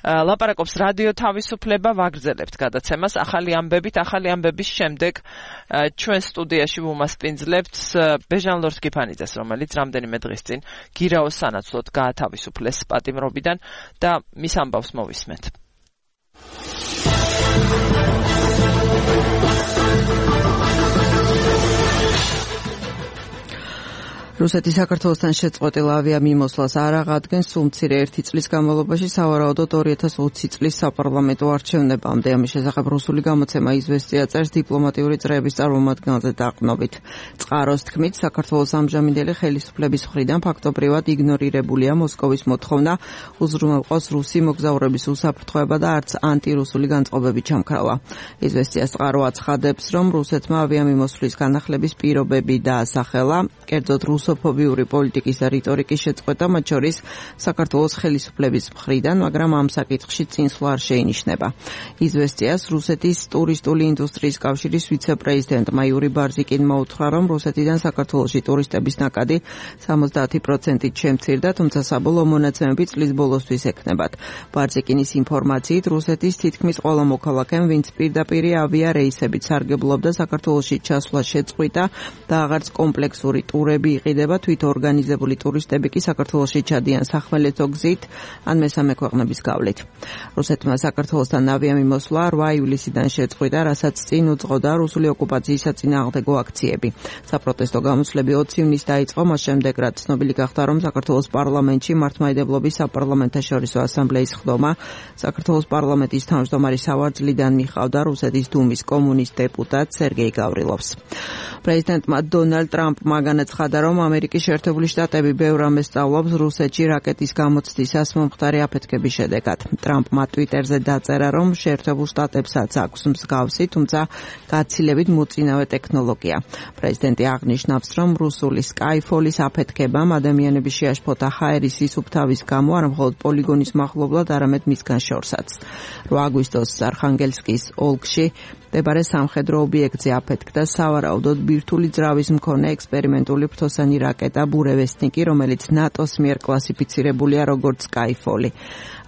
ლაპარაკობს რადიო თავისუფლება, ვაგრძელებთ გადაცემას ახალი ამბებით, ახალი ამბების შემდეგ ჩვენ სტუდიაში ვუმასპინძლებთ ბეჟან ლორთქიფანიძეს, რომელიც რამდენიმე დღის წინ გირაოს სანაცვლოდ გაათავისუფლეს პატიმრობიდან და მის ამბავს მოვისმენთ. რუსეთი საქართველოსთან შეწყვეტილ ავიამიმოსვლას არ აღადგენს, სულ მცირე ერთი წლის განმავლობაში, სავარაუდოდ ორი ათას ოცი წლის საპარლამენტო არჩევნებამდე. ამის შესახებ რუსული გამოცემა იზვესტია წერს დიპლომატიური წრეების წარმომადგენელზე დაყრდნობით. წყაროს თქმით, საქართველოს ამჟამინდელი ხელისუფლების მხრიდან ფაქტობრივად იგნორირებულია მოსკოვის მოთხოვნა უზრუნველყოს რუსი მოგზაურების უსაფრთხოება და არც ანტირუსული განწყობები ჩამქრალა. იზვესტიას წყარო აცხადებს, რომ რუსეთმა ავიამიმოსვლის განახლების პირობები დაასახელა, კერძოდ რუსოფობიური პოლიტიკის და რიტორიკის შეწყვეტა, მათ შორის საქართველოს ხელისუფლების მხრიდან, მაგრამ ამ საკითხში წინსვლა არ შეინიშნება. იზვესტიას რუსეთის ტურისტული ინდუსტრიის კავშირის ვიცე-პრეზიდენტმა იური ბარზიკინმა უთხრა, რომ რუსეთიდან საქართველოში ტურისტების ნაკადი სამოცდაათი პროცენტით შემცირდა, თუმცა საბოლოო მონაცემები წლის ბოლოსთვის ექნებათ. ბარზიკინის ინფორმაციით, რუსეთის თითქმის ყველა მოქალაქემ, ვინც პირდაპირი ავია რეისებით სარგებლობდა, საქართველოში ჩასვლა შეწყვიტა და აღარც კომპლექსური ტურები იყიდება, თვითორგანიზებული ტურისტები კი საქართველოში ჩადიან სახმელეთო გზით ან მესამე ქვეყნების გავლით. რუსეთმა საქართველოსთან ავიამიმოსვლა რვა ივლისიდან შეწყვიტა, რასაც წინ უძღოდა რუსული ოკუპაციის საწინააღმდეგო აქციები. საპროტესტო გამოსვლები ოცი ივნისს დაიწყო, მას შემდეგ რაც ცნობილი გახდა, რომ საქართველოს პარლამენტში მართლმადიდებლობის საპარლამენტაშორისო ასამბლეის ხდომა საქართველოს პარლამენტის თავმჯდომარის სავარძლიდან მიხავდა რუსეთის დუმის კომუნისტ დეპუტატ სერგეი გავრილოვს. პრეზიდენტმა დონალდ ტრამპმა განაცხადა, რომ ამერიკის შეერთებული შტატები ბევრ რამეს სწავლობს რუსეთში რაკეტის გამოცდისას მომხდარი აფეთქების შედეგად. ტრამპმა ტვიტერზე დაწერა, რომ შეერთებულ შტატებსაც აქვს მსგავსი, თუმცა გაცილებით მოწინავე ტექნოლოგია. პრეზიდენტი აღნიშნავს, რომ რუსული სკაიფოლის აფეთქებამ ადამიანების შეაშფოთა ჰაერის სისუფთავის გამო არა მხოლოდ პოლიგონის მახლობლად, არამედ მისგან შორსაც. რვა აგვისტოს არხანგელსკის ოლქში მდებარე სამხედრო ობიექტზე აფეთქდა სავარაუდოდ ბირთვული ძრავის მქონე ექსპერიმენტული ფრთოსანი პროექტოსანი რაკეტა ბურევესნიკი, რომელიც ნატოს მიერ კლასიფიცირებულია როგორც Skyfall-ი.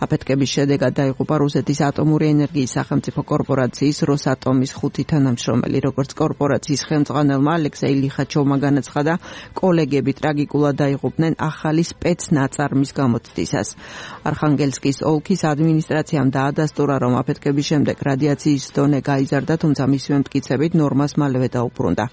აფეთქების შედეგად დაიღუპა რუსეთის ატომური ენერგიის სახელმწიფო კორპორაციის როსატომის ხუთი თანამშრომელი. როგორც კორპორაციის ხელმძღვანელმა ალექსეი ლიხაჩოვმა განაცხადა, კოლეგები ტრაგიკულად დაიღუპნენ ახალი სპეცნაწარმის გამოცდისას. არხანგელსკის ოლქის ადმინისტრაციამ დაადასტურა, რომ აფეთქების შემდეგ რადიაციის დონე გაიზარდა, თუმცა მისივე მტკიცებით ნორმას მალევე დაუბრუნდა.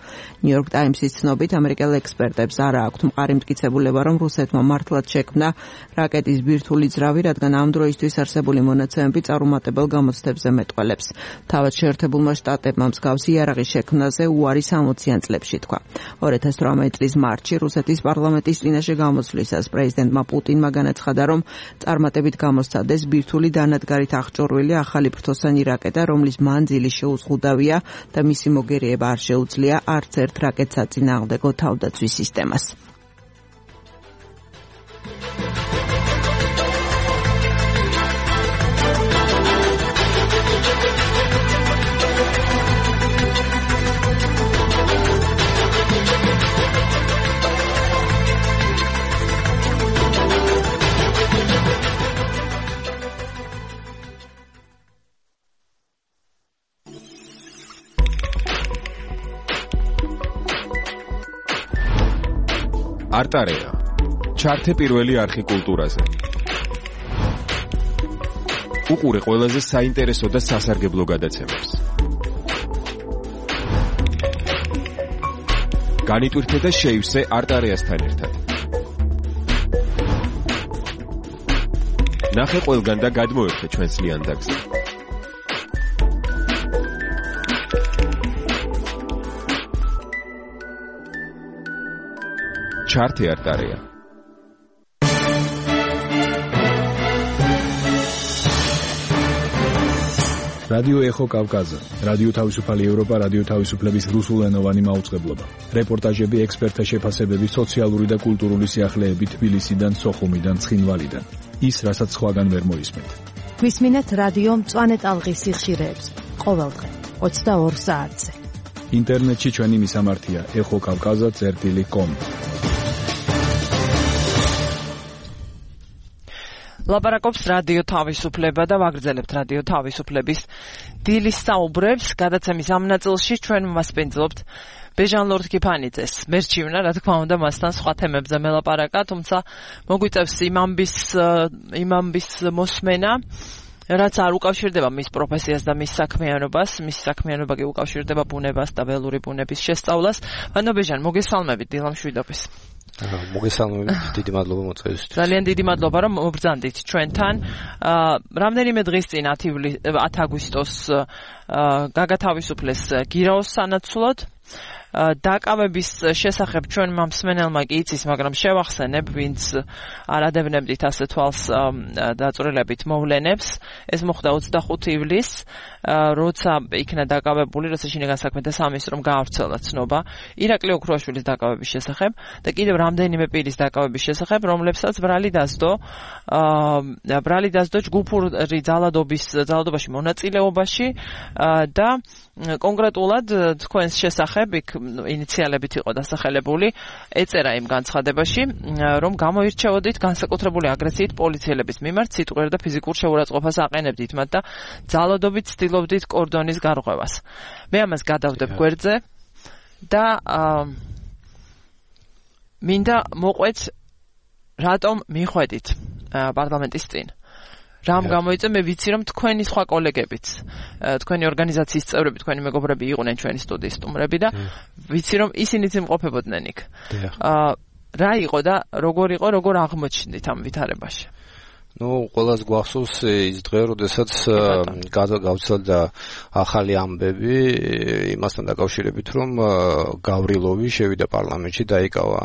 ნიუ-იორკ ტაიმსის ცნობით, ამერიკელ ექსპერტებს არა აქვთ მყარი მტკიცებულება, რომ რუსეთმა მართლაც შექმნა რაკეტის ბირთვული ძრავი, რადგან ამ დროისთვის არსებული მონაცემები წარუმატებელ გამოცდებზე მეტყველებს. თავად შეერთებულმა შტატებმა მსგავსი იარაღის შექმნაზე უარი სამოციან წლებში თქვა. ორი ათას თვრამეტი წლის მარტში რუსეთის პარლამენტის წინაშე გამოსვლისას პრეზიდენტმა პუტინმა განაცხადა, რომ წარმატებით გამოსცადეს ბირთვული დანადგარით აღჭურვილი ახალი ფრთოსანი რაკეტა, რომლის მანძილი შეუზღუდავია და მისი მოგერიება არ შეუძლია არც ერთ რაკეტს საწინააღმდეგო თავდაცვის სისტემას. არტარეა. ჩართე პირველი არხი კულტურაზე. უყურე ყველაზე საინტერესო და სასარგებლო გადაცემებს. განიტვირთე და შეივსე არტარეასთან ერთად. ნახე ყველგან და გადმოერთე ჩვენს ლიანდაგზე. ჩართე არტარეა. რადიო ეხო კავკაზა, რადიო თავისუფალი ევროპა, რადიო თავისუფლების რუსულენოვანი მაუწყებლობა. რეპორტაჟები, ექსპერტთა შეფასებები, სოციალური და კულტურული სიახლეები თბილისიდან, სოხუმიდან, ცხინვალიდან. ის, რასაც სხვაგან ვერ მოისმენთ. გვისმინეთ რადიო მწვანე ტალღის სიხშირეებს. ყოველდღე ოცდაორ საათზე. ინტერნეტში ჩვენი მისამართია ეხო კავკაზა წერტილი კომ. ლაპარაკობს რადიო თავისუფლება და ვაგრძელებთ რადიო თავისუფლების დილის საუბრებს. გადაცემის ამ ნაწილში ჩვენ მასპინძლობთ ბეჟან ლორდ-კიფანიძეს. მერჩივნა, რა თქმა უნდა, მასთან სხვა თემებზე მელაპარაკა, თუმცა მოგვიწევს იმ ამბის იმ ამბის მოსმენა, რაც არ უკავშირდება მის პროფესიას და მის საქმიანობას, მის საქმიანობა კი უკავშირდება ბუნებას და ველური ბუნების შესწავლას. ანუ ბეჟან, მოგესალმებით დილა მშვიდობის. მოგესალმებით, დიდი მადლობა მოწვევისთვის. ძალიან დიდი მადლობა, რომ მობრძანდით ჩვენთან. რამდენიმე დღის წინ ათ აგვისტოს გაგათავისუფლეს გირაოს სანაცვლოდ. დაკავების შესახებ ჩვენ მსმენელმა კი იცის, მაგრამ შევახსენებ, ვინც არ ადევნებდით ასე თვალს დაწვრილებით მოვლენებს. ეს მოხდა ოცდახუთი ივლისს, როცა იქნა დაკავებული, როცა შინაგან საქმეთა სამინისტრომ გაავრცელა ცნობა ირაკლი ოქროაშვილის დაკავების შესახებ და კიდევ რამდენიმე პირის დაკავების შესახებ, რომლებსაც ბრალი დასდო ბრალი დასდო ჯგუფური ძალადობის ძალადობაში მონაწილეობაში და კონკრეტულად თქვენს შესახებ იქ ინიციალებით იყო დასახელებული, ეწერა იმ განცხადებაში, რომ გამოირჩეოდით განსაკუთრებული აგრესიით პოლიციელების მიმართ, სიტყვიერ და ფიზიკურ შეურაცხყოფას აყენებდით მათ და ძალადობით ცდილობდით კორდონის გარღვევას. მე ამას გადავდებ გვერდზე და მინდა მოყვეთ, რატომ მიხვედით პარლამენტის წინ. რამ გამოიწვია, მე ვიცი, რომ თქვენი სხვა კოლეგებიც, თქვენი ორგანიზაციის წევრები, თქვენი მეგობრები იყვნენ ჩვენი სტუდიის სტუმრები და ვიცი, რომ ისინიც იმყოფებოდნენ იქ. რა იყო და როგორ იყო, როგორ აღმოჩნდით ამ ვითარებაში? ну, ყველას გვახსოვს ის დღე, როდესაც გავრცელდა ახალი ამბები იმასთან დაკავშირებით, რომ გავრილოვი შევიდა პარლამენტში, დაიკავა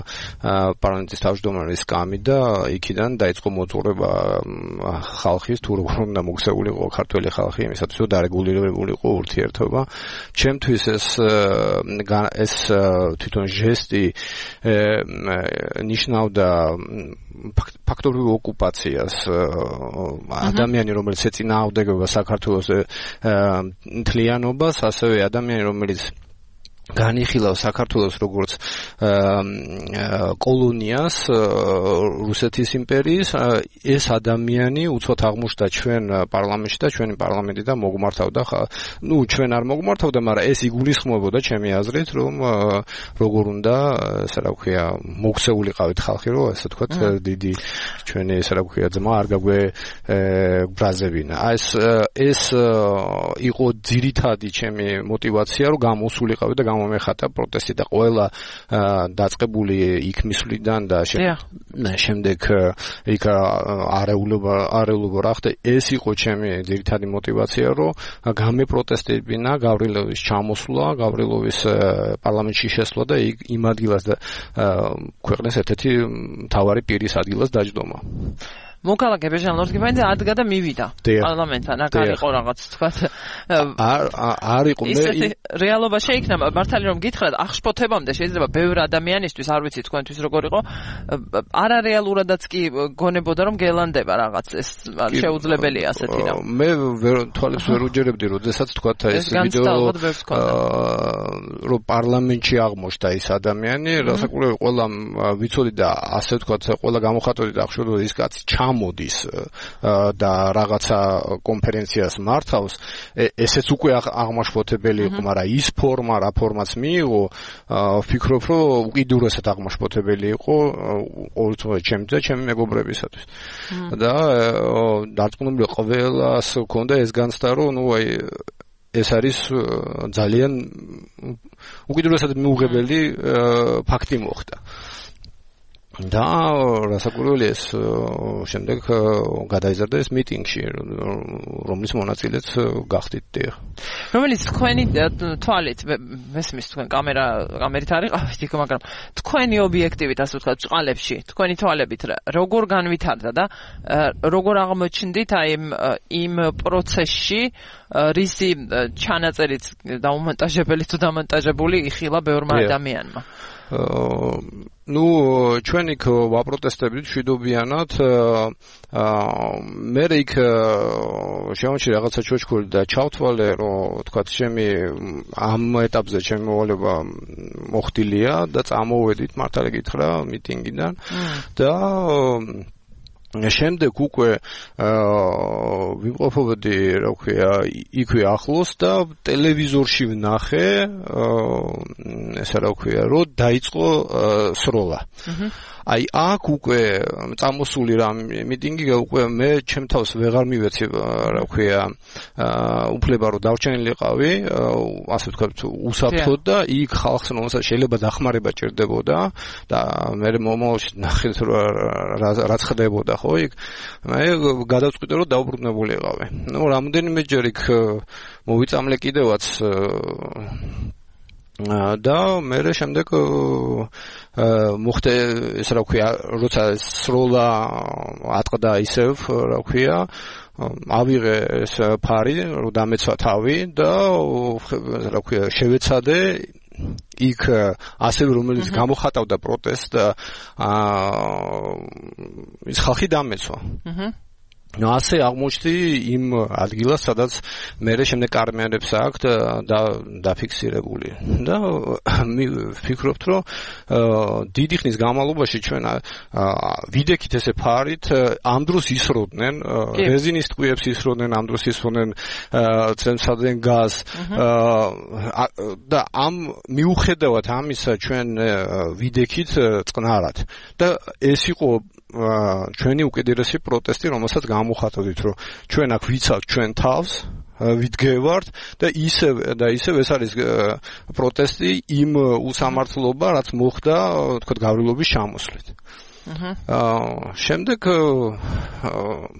პარლამენტის თავმჯდომარის სკამი და იქიდან დაიწყო მოძღვრება ხალხის, თუ როგორ უნდა მოქცეულიყო ქართველი ხალხი იმისათვის, რომ დარეგულირებულიყო ურთიერთობა. ჩემთვის ეს ეს თვითონ ჟესტი ნიშნავდა ფაქტობრივ ოკუპაციას, ადამიანი, რომელიც ეწინააღმდეგება საქართველოს მთლიანობას, ასევე ადამიანი, რომელიც განიხილავს საქართველოს როგორც კოლონიას რუსეთის იმპერიის ეს ადამიანი უცბად აღმოჩნდა ჩვენ პარლამენტში და ჩვენი პარლამენტი და მოგმართავდა ნუ ჩვენ არ მოგმართავდა მაგრამ ეს იგულისხმებოდა ჩემი აზრით რომ როგორ უნდა ესე რა ვქვია მოქცეულიყავით ხალხი რომ ესე თქვა დიდი ჩვენი ესე რა ვქვია ძმა არ გაგვე ბრაზებინა ეს ეს იყო ძირითადი ჩემი мотиваცია რომ გამოსულიყავი და მომეხატა პროტესტი და ყველა დაწყებული იქ მისვლიდან და შემდეგ იქ არეულობა არეულობა რა ხდა ეს იყო ჩემი ძირითადი мотиваცია რომ გამეპროტესტებინა გავრილოვის ჩამოსვლა გავრილოვის პარლამენტში შესვლა და იმ ადგილას და ქვეყნის ერთ-ერთი მთავარი პირის ადგილას დაჯდომა მოკალაგე ბეჟან ლორგიბაინძე ადგა და მივიდა პარლამენტთან აქ არ იყო რაღაც თქვა არ არ იყო მე ისეთი რეალობა შეიქმნა მართალი რომ გითხრათ აღშფოთებამდე შეიძლება ბევრ ადამიანისთვის არ ვიცი თქვენთვის როგორ იყო არარეალურადაც კი გონებოდა რომ გელანდება რაღაც ეს შეუძლებელია ასეთი რამ მე თვალებს ვერ უჯერებდი როდესაც თქვა ეს ვიდეო რომ პარლამენტში აღმოჩნდა ის ადამიანი რასაკვირველი ყველა ვიცოდი და ასე თქვა ყველა გამოხატოდი და ახშობდი ის კაცი მოდის და რაღაცა კონფერენციას მართავს ესეც უკვე აღმაშფოთებელი იყო მაგრამ ის ფორმა რა ფორმაც მიიღო ვფიქრობ რომ უკიდურესად აღმაშფოთებელი იყო ყოველთვის ჩემი და ჩემი მეგობრებისათვის და დარწმუნებული ყველას ჰქონდა ეს განცდა რომ ნუ აი ეს არის ძალიან უკიდურესად მიუღებელი ფაქტი მოხდა და რასაკვირველი ეს შემდეგ გადაიზარდა ეს მიტინგში რომლის მონაწილეც გახდით დიახ რომელიც თქვენი თვალით მესმის თქვენ კამერა კამერით არ იყავით იქ მაგრამ თქვენი ობიექტივით ასე ვთქვათ წყალებში თქვენი თვალებით როგორ განვითარდა და როგორ აღმოჩნდით აი იმ პროცესში რისი ჩანაწერით დაუმონტაჟებელი თუ დამონტაჟებული იხილა ბევრმა ადამიანმა ну ჩვენ იქ ვაპროტესტებდით შვიდობიანად მე იქ შემოჩი რაღაცა ჩოჩქური და ჩავთვალე რომ თქვა ჩემი ამ ეტაპზე ჩემი მოვალება მოხდილია და წამოვედით მართალი გითხრა მიტინგიდან და შემდეგ უკვე ვიმყოფობდი რა ვქვია იქვე ახლოს და ტელევიზორში ვნახე ესე რა ვქვია რომ დაიწყო სროლა აი აქ უკვე წამოსული რა მიტინგი უკვე მე ჩემ თავს ვეღარ მივეცი რა ვქვია უფლება რომ დავჩენილიყავი ასე ვთქვათ უსაფრთხოდ და იქ ხალხს რომელსაც შეიძლება დახმარება ჭირდებოდა და მე მომავალში ნახეთ რაც ხდებოდა ხო იქ მე გადავწყვიტე რომ დაუბრუნებულიყავი ნუ რამდენიმეჯერ იქ მოვიწამლე კიდევაც და მე შემდეგ მოხდა ეს რა ვქვია როცა სროლა ატყდა ისევ რა ვქვია ავიღე ეს ფარი რომ დამეცვა თავი და რა ვქვია შევეცადე იქ ასევე რომელიც გამოხატავდა პროტესტს ის ხალხი დამეცვა ну ასე აღმოჩნდი იმ ადგილას სადაც მე შემდეგ კარმიანებს აქვთ და დაფიქსირებული და ვფიქრობთ რომ დიდი ხნის განმავლობაში ჩვენ ვიდექით ესე ფარით ამ დროს ისროდნენ რეზინის ტყვიებს ისროდნენ ამ დროს ისროდნენ ცემსადენ გაზ და ამ მიუხედავად ამისა ჩვენ ვიდექით წყნარად და ეს იყო ჩვენი უკიდურესი პროტესტი, რომელსაც გამოხატავთ, რომ ჩვენ აქ ვიცავთ ჩვენ თავს, ვიდგევართ და ისევ და ისევ ეს არის პროტესტი იმ უსამართლობა, რაც მოხდა, თქვა გავრილობის ჩამოსვლით. აა შემდეგ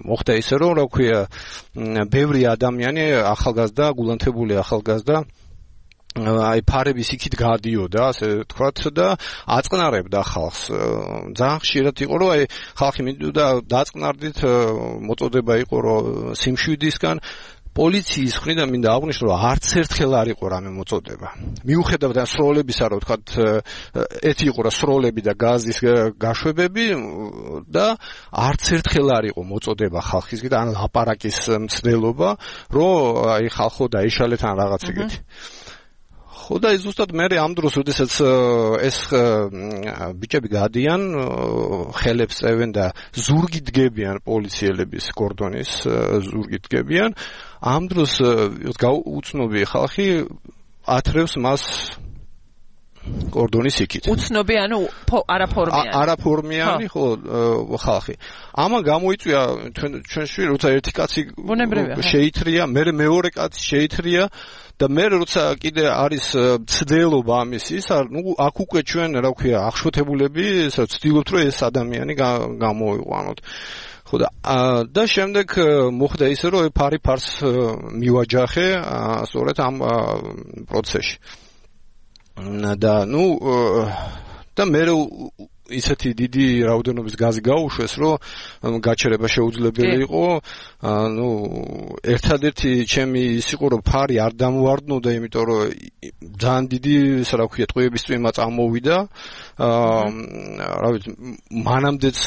მოხდა ისე რომ რა ქვია, ბევრი ადამიანი ახალგაზრდა, გულანთებული ახალგაზრდა აი ფარების იქით გადიოდა, ასე ვთქვათ და აწყნარებდა ხალხს. ძალიან ხშირად იყო რომ აი ხალხი მინდოდა დაწყნარდით, მოწოდება იყო რომ სიმშვიდისგან პოლიციის მხრიდან მინდა აღვნიშნო რომ არც ერთხელ არ იყო რამე მოწოდება. მიუხედავად ამ სროლებისა, რომ ვთქვათ, ერთი იყო რა სროლები და გაზის გაშვებები და არც ერთხელ არ იყო მოწოდება ხალხისგან და ან ლაპარაკის მცდელობა, რომ აი ხალხო დაიშალეთ ან რაღაც ეგეთი. ხო და ზუსტად მე ამ დროს როდესაც ეს ბიჭები გადიან ხელებს წევენ და ზურგით დგებიან პოლიციელების კორდონის ზურგით დგებიან ამ დროს უცნობი ხალხი ათრევს მას კორდონის იქით. უცნობი ანუ არაფორმიანი. არაფორმიანი ხო ხალხი. ამან გამოიწვია ჩვენ შვილი როცა ერთი კაცი შეითრია, მე მეორე კაცი შეითრია და მე როცა კიდე არის ცდელობა ამისის, ნუ აქ უკვე ჩვენ რა ვქვია, აღშფოთებულები ვცდილობთ რომ ეს ადამიანი გამოვიყვანოთ. ხო და და შემდეგ მოხდა ისე რომ ფარი ფარს მივაჯახე სწორედ ამ პროცესში. და ნუ და მე ისეთი დიდი რაოდენობის გაზი გაუშვეს, რომ გაჩერება შეუძლებელი იყო. ნუ ერთადერთი ჩემი ის იყო, რომ ფარი არ დამოვარდნოდა, იმიტომ რომ ძალიან დიდი, რა ვქვია, ტყვიების წვიმა წამოვიდა. აა რა ვიცი, მანამდეც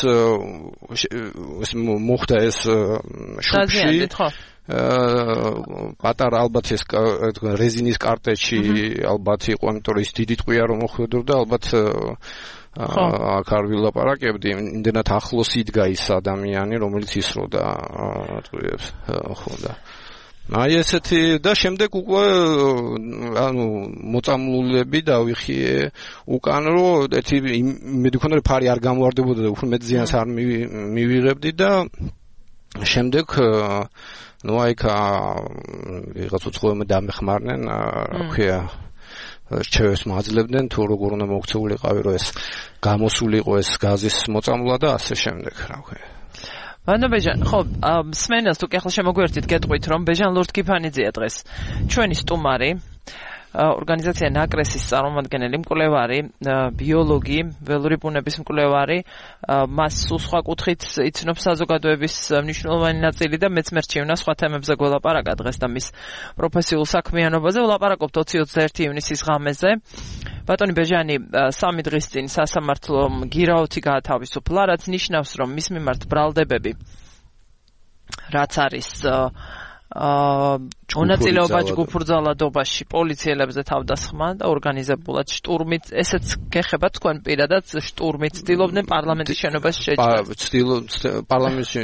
ეს მოხდა ეს შუქში. პატარა ალბათ ეს რეზინის კარტეჩი ალბათ იყო, იმიტომ რომ ის დიდი ტყვია რომ მოხვედრდა, ალბათ აქ არ ვილაპარაკებდი, იმდენად ახლოს იდგა ის ადამიანი, რომელიც ისროდა ტყვიებს, ხო და აი ესეთი და შემდეგ უკვე ანუ მოწამლულები დავიხიე უკან რომ ერთი მე მქონდა რომ ფარი არ გამოვარდებოდა და უფრო მეტ ზიანს არ მივიღებდი და შემდეგ ну айка ვიღაც უცხოებმა დამეხმარნენ, რა ქვია, რჩევებს მაძლევდნენ თუ როგორ უნდა მოქცეულიყავი რომ ეს გამოსულიყო ეს გაზის მოწამვლა და ასე შემდეგ, რა ქვია. ანუ ბეჟან, ხო, სმენას თუ კი ახლა შემოგვერთით გეტყვით რომ ბეჟან ლორდ-კიფანიძეა დღეს ჩვენი სტუმარი, ორგანიზაცია ნაკრესის წარმომადგენელი, მკვლევარი, ბიოლოგი, ველური ბუნების მკვლევარი, მას სულ სხვა კუთხით იცნობს საზოგადოების მნიშვნელოვანი ნაწილი და მეც მერჩევნა სხვა თემებზე გველაპარაკა დღეს და მის პროფესიულ საქმიანობაზე. ვლაპარაკობთ ოცი ოცდაერთი ივნისის ღამეზე. ბატონი ბეჟანი სამი დღის წინ სასამართლომ გირაოთი გაათავისუფლა, რაც ნიშნავს, რომ მის მიმართ ბრალდებები, რაც არის აა მონაწილეობა ჯგუფურძალადობაში პოლიციელებზე თავდასხმა და ორგანიზებულად შტურმით, ესეც გეხება თქვენ პირადად შტურმით ცდილობდნენ პარლამენტის შენობას შეჭრას. ცდილობ პარლამენტში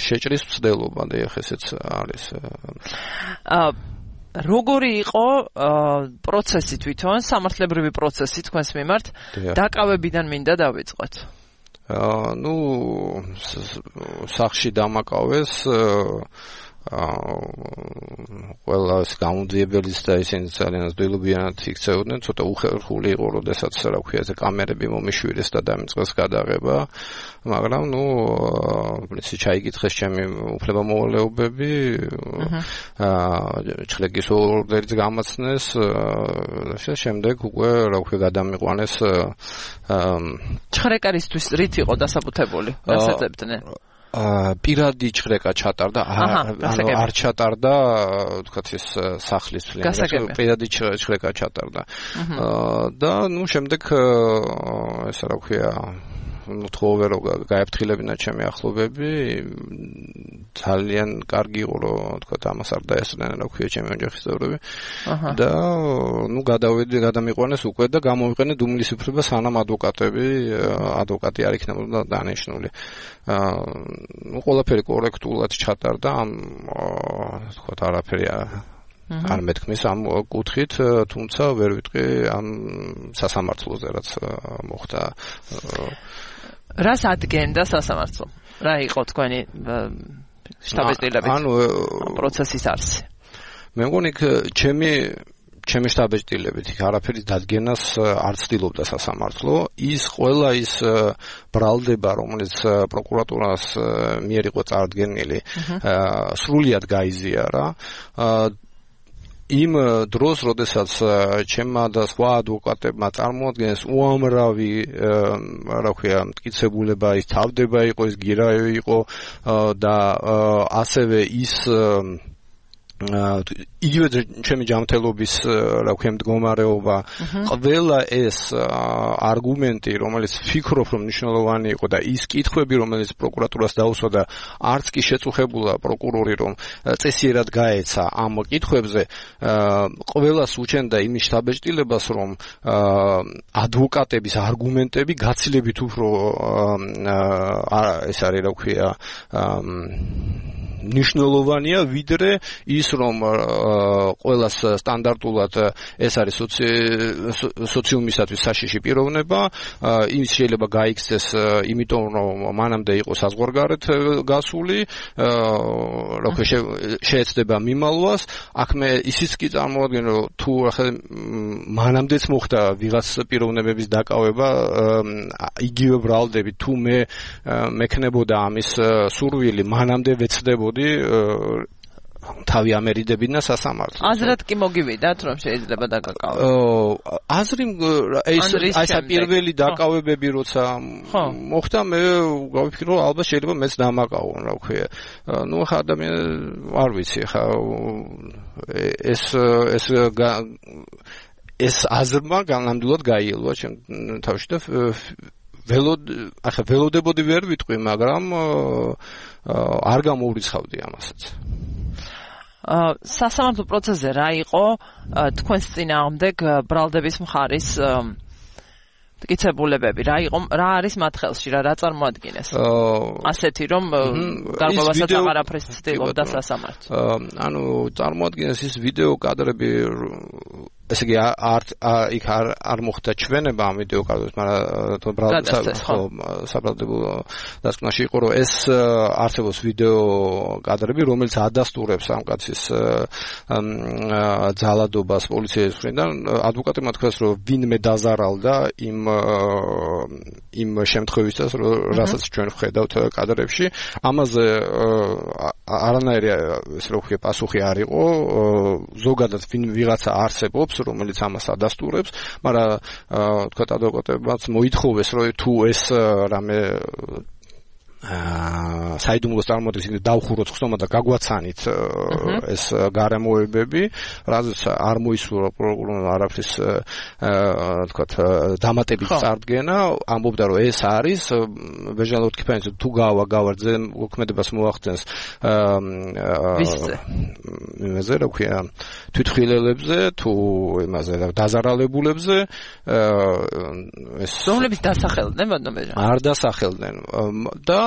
შეჭრის ცდილობა და ეხლა ესეც არის. აა როგორი იყო პროცესი თვითონ, სამართლებრივი პროცესი თქვენს მიმართ, დაკავებიდან მინდა დავიწყოთ. აა ნუ სახში დამაკავეს ყველა ეს გამოძიებელიც და ისინი ძალიან ძველობიანად იქცეოდნენ, ცოტა უხერხული იყო, როდესაც რა ვქვია, ეს კამერები მომიშვირეს და დამიწყეს გადაღება, მაგრამ ნუ პრინციპი ჩაიგითხეს ჩემი უფლებამოვალეობები, აა ჩხლეკის ორდერიც გამაცნეს, შემდეგ უკვე რა ვქვია, გადამიყვანეს ჩხრეკარისთვის რით იყო დასაბუთებული, დასაძებდნენ? პირადი ჩხრეკა ჩატარდა, ანუ არ ჩატარდა, ვთქვათ ეს სახლის წლიან, პირადი ჩხრეკა ჩატარდა. და ნუ შემდეგ ეს რა ვქვია, ну თხოვე რომ გაეფრთხილებინა ჩემი ახლობები, ძალიან კარგი იყო რომ თქვა ამას არ დაესწრნენ რა ვქვია ჩემი ოჯახის წევრები. და ну გადავედი, გადამიყვანეს უკვე და გამოვიყენე უმილისუფლება სანამ ადვოკატები, ადვოკატი არ იქნებოდა დანიშნული. ну ყველაფერი კორექტულად ჩატარდა, ამ თქვა არაფერი არ მეთქმის ამ კუთხით, თუმცა ვერ ვიტყვი ამ სასამართლოზე რაც მოხდა. რას ადგენდა სასამართლო? რა იყო თქვენი შტაბ-ეტილებით? ანუ პროცესის არსი. მე მგონი ჩემი ჩემი შტაბ-ეტილებით არაფერი დადგენას არ ცდილობდა სასამართლო. ის ყველა ის ბრალდება, რომელიც პროკურატურას მიერ იყო წარდგენილი, სრულიად გაიზიარა. იმ დროს, როდესაც ჩემმა და სხვა ადვოკატებმა წარმოადგენს უამრავი, რა ვქვია, მტკიცებულება, ის თავდება იყო, ის გირაო იყო და ასევე ის იგივე ჩემი ჯანმრთელობის რა ვქო მდგომარეობა ყველა ეს არგუმენტი რომელიც ფიქრობ რომ მნიშვნელოვანი იყო და ის კითხვები რომელიც პროკურატურას დაუსვა და არც კი შეწუხებულა პროკურორი რომ წესიერად გაეცა ამ კითხვებზე ყველას უჩენდა იმის შთაბეჭდილებას რომ ადვოკატების არგუმენტები გაცილებით უფრო ეს არის რა ვქია ნიშნულოვანია ვიდრე ის რომ ყველას სტანდარტულად ეს არის სოციუმისათვის საშიში პიროვნება ის შეიძლება გაიქცეს იმიტომ რომ მანამდე იყო საზღვარგარეთ გასული რა ქვია შეეცდება მიმალვას აქ მე ისიც კი წარმოვადგენ რომ თუ ახლა მანამდეც მოხდა ვიღაც პიროვნებების დაკავება იგივე ბრალდები თუ მე მექნებოდა ამის სურვილი მანამდე ვეცდებოდი თავი ამერიდებინა სასამართლო. აზრად კი მოგივიდათ რომ შეიძლება დაკავებო. აზრი ეს აი პირველი დაკავებები როცა მოხდა მე გავიფიქრო რომ ალბათ შეიძლება მეც დამაკავონ რა ვქვია. ნუ ხა ადამიანი არ ვიცი ხა ეს ეს ეს აზრმა განამდვილად გაიელვა ჩემ თავში და ველოდ ახლა ველოდებოდი ვერ ვიტყვი მაგრამ არ გამოურიცხავდი ამასაც. სასამართლო პროცესზე რა იყო თქვენს წინააღმდეგ ბრალდების მხარის მტკიცებულებები რა იყო რა არის მათ ხელში რა რა წარმოადგენეს ასეთი რომ გარკვევასაც აღარაფრის ცდილობდა სასამართლო ანუ წარმოადგენეს ის ვიდეო კადრები ესე იგი არ იქ არ არ მოხდა ჩვენება ამ ვიდეო კადრებს მაგრამ საბრალდებო დასკვნაში იყო რომ ეს არსებობს ვიდეო კადრები რომელიც ადასტურებს ამ კაცის ძალადობას პოლიციის მხრიდან ადვოკატებმა თქვეს რომ ვინმე დაზარალდა იმ იმ შემთხვევისას რასაც ჩვენ ვხედავთ კადრებში ამაზე არანაირი ეს რო ვქია პასუხი არ იყო ზოგადად ვინ ვიღაცა არსებობს რომელიც ამას ადასტურებს, მაგრამ თქვა ადვოკატებმაც მოითხოვეს, რომ თუ ეს რამე აა საიდუმლოს წარმოადგენს იმით დავხუროთ ხსომა და გაგვაცანით ეს გარემოებები, რაზეც არ მოისურვა პროკურორმა არაფრის აა თქვა დამატებით წარდგენა, ამბობდა რომ ეს არის ბეჟანოთ კიფანიც თუ გავა გავარძე მოქმედებას მოახდენს აა იმაზე რა ქვია თვითხილელებზე თუ იმაზე დაზარალებულებზე ეს რომლებიც დასახელდნენ ბატონო ბეჟან არ დასახელდნენ და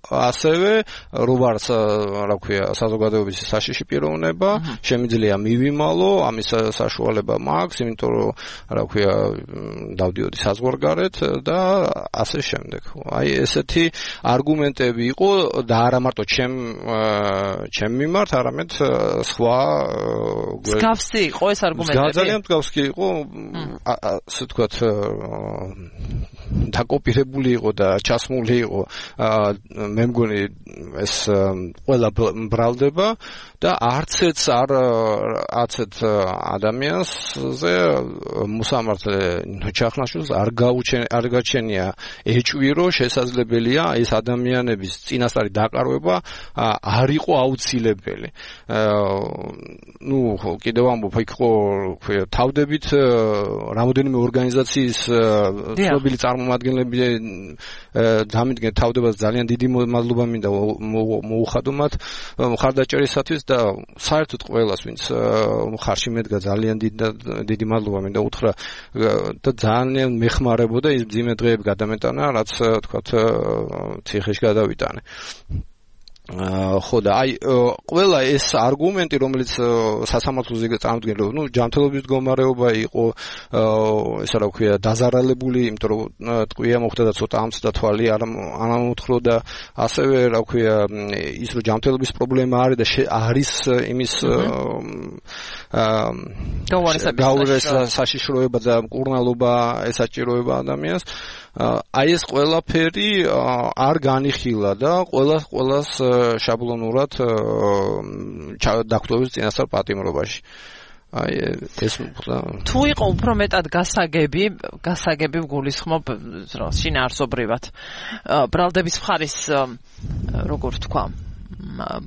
ასევე როგორც რა ქვია საზოგადოების საშიში პიროვნება შემიძლია მივიმალო ამის საშუალება მაქვს იმიტომ რომ რა ქვია დავდიოდი საზღვარგარეთ და ასე შემდეგ აი ესეთი არგუმენტები იყო და არა მარტო ჩემ ჩემ მიმართ არამედ სხვა მსგავსი იყო ეს არგუმენტები ძალიან მსგავსი იყო ასე ვთქვათ დაკოპირებული იყო და ჩასმული იყო მე მგონი ეს ყველა ბრალდება და არცეც არ არცეთ ადამიანზე მოსამართლე ჩახნაშულს არ გაუჩენ არ გაჩენია ეჭვირო შესაძლებელია ეს ადამიანების წინასწარი დაკარგვება არ იყო აუცილებელი ნუ კიდევ ამბობ იქ ხო თავდებით რამოდენიმე ორგანიზაციის ცნობილი წარმომადგენლები დამიდგენ თავდებას ძალიან დიდი მადლობა მინდა მოუხადო მათ მხარდაჭერისათვის და საერთოდ ყველას ვინც მხარში მედგა ძალიან დიდი მადლობა მინდა უთხრა და ძალიან მეხმარებოდა ის მძიმე დღეები გადამეტანა რაც თქვათ ციხეში გადავიტანე ხო და აი ყველა ეს არგუმენტი რომელიც სასამართლოზე წარმოდგენილი ნუ ჯანმრთელობის მდგომარეობა იყო ესა რა ვქვია დაზარალებული იმიტომ რომ ტყვია მოხდა და ცოტა ამცდა თვალი არ ამოთხრო და ასევე რა ვქვია ის რომ ჯანმრთელობის პრობლემა არის და არის იმის გაუარეს საშიშროება და მკურნალობა ესაჭიროება ადამიანს აი ეს ყველაფერი არ განიხილა და ყველა ყველას შაბლონურად დაგტოვის წინასწარ პატიმრობაში. აი ეს თუ იყო უფრო მეტად გასაგები, გასაგები გულისხმობ შინაარსობრივად ბრალდების მხარის როგორ თქვა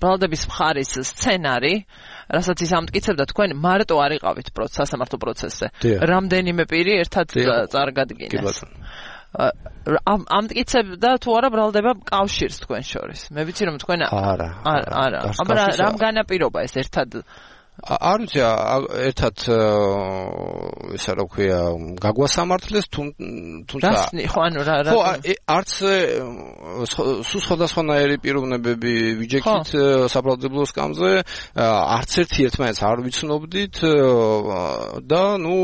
ბრალდების მხარის სცენარი, რასაც ის ამტკიცებდა, თქვენ მარტო არ იყავით სასამართლო პროცესზე. რამდენიმე პირი ერთად წარგადგინეს. ამტკიცებდა თუ არა ბრალდება კავშირს თქვენ შორის. მე ვიცი რომ თქვენ არა. არა. აბა რამ განაპირობა ეს ერთად არ ვიცი ერთად ისა რა ქვია გაგვასამართლეს თუმცა ხო ანუ რა ხო არც სულ სხვადასხვანაირი პიროვნებები ვიჯექით საბრალდებულო სკამზე არც ერთი ერთმანეთს არ ვიცნობდით და ნუ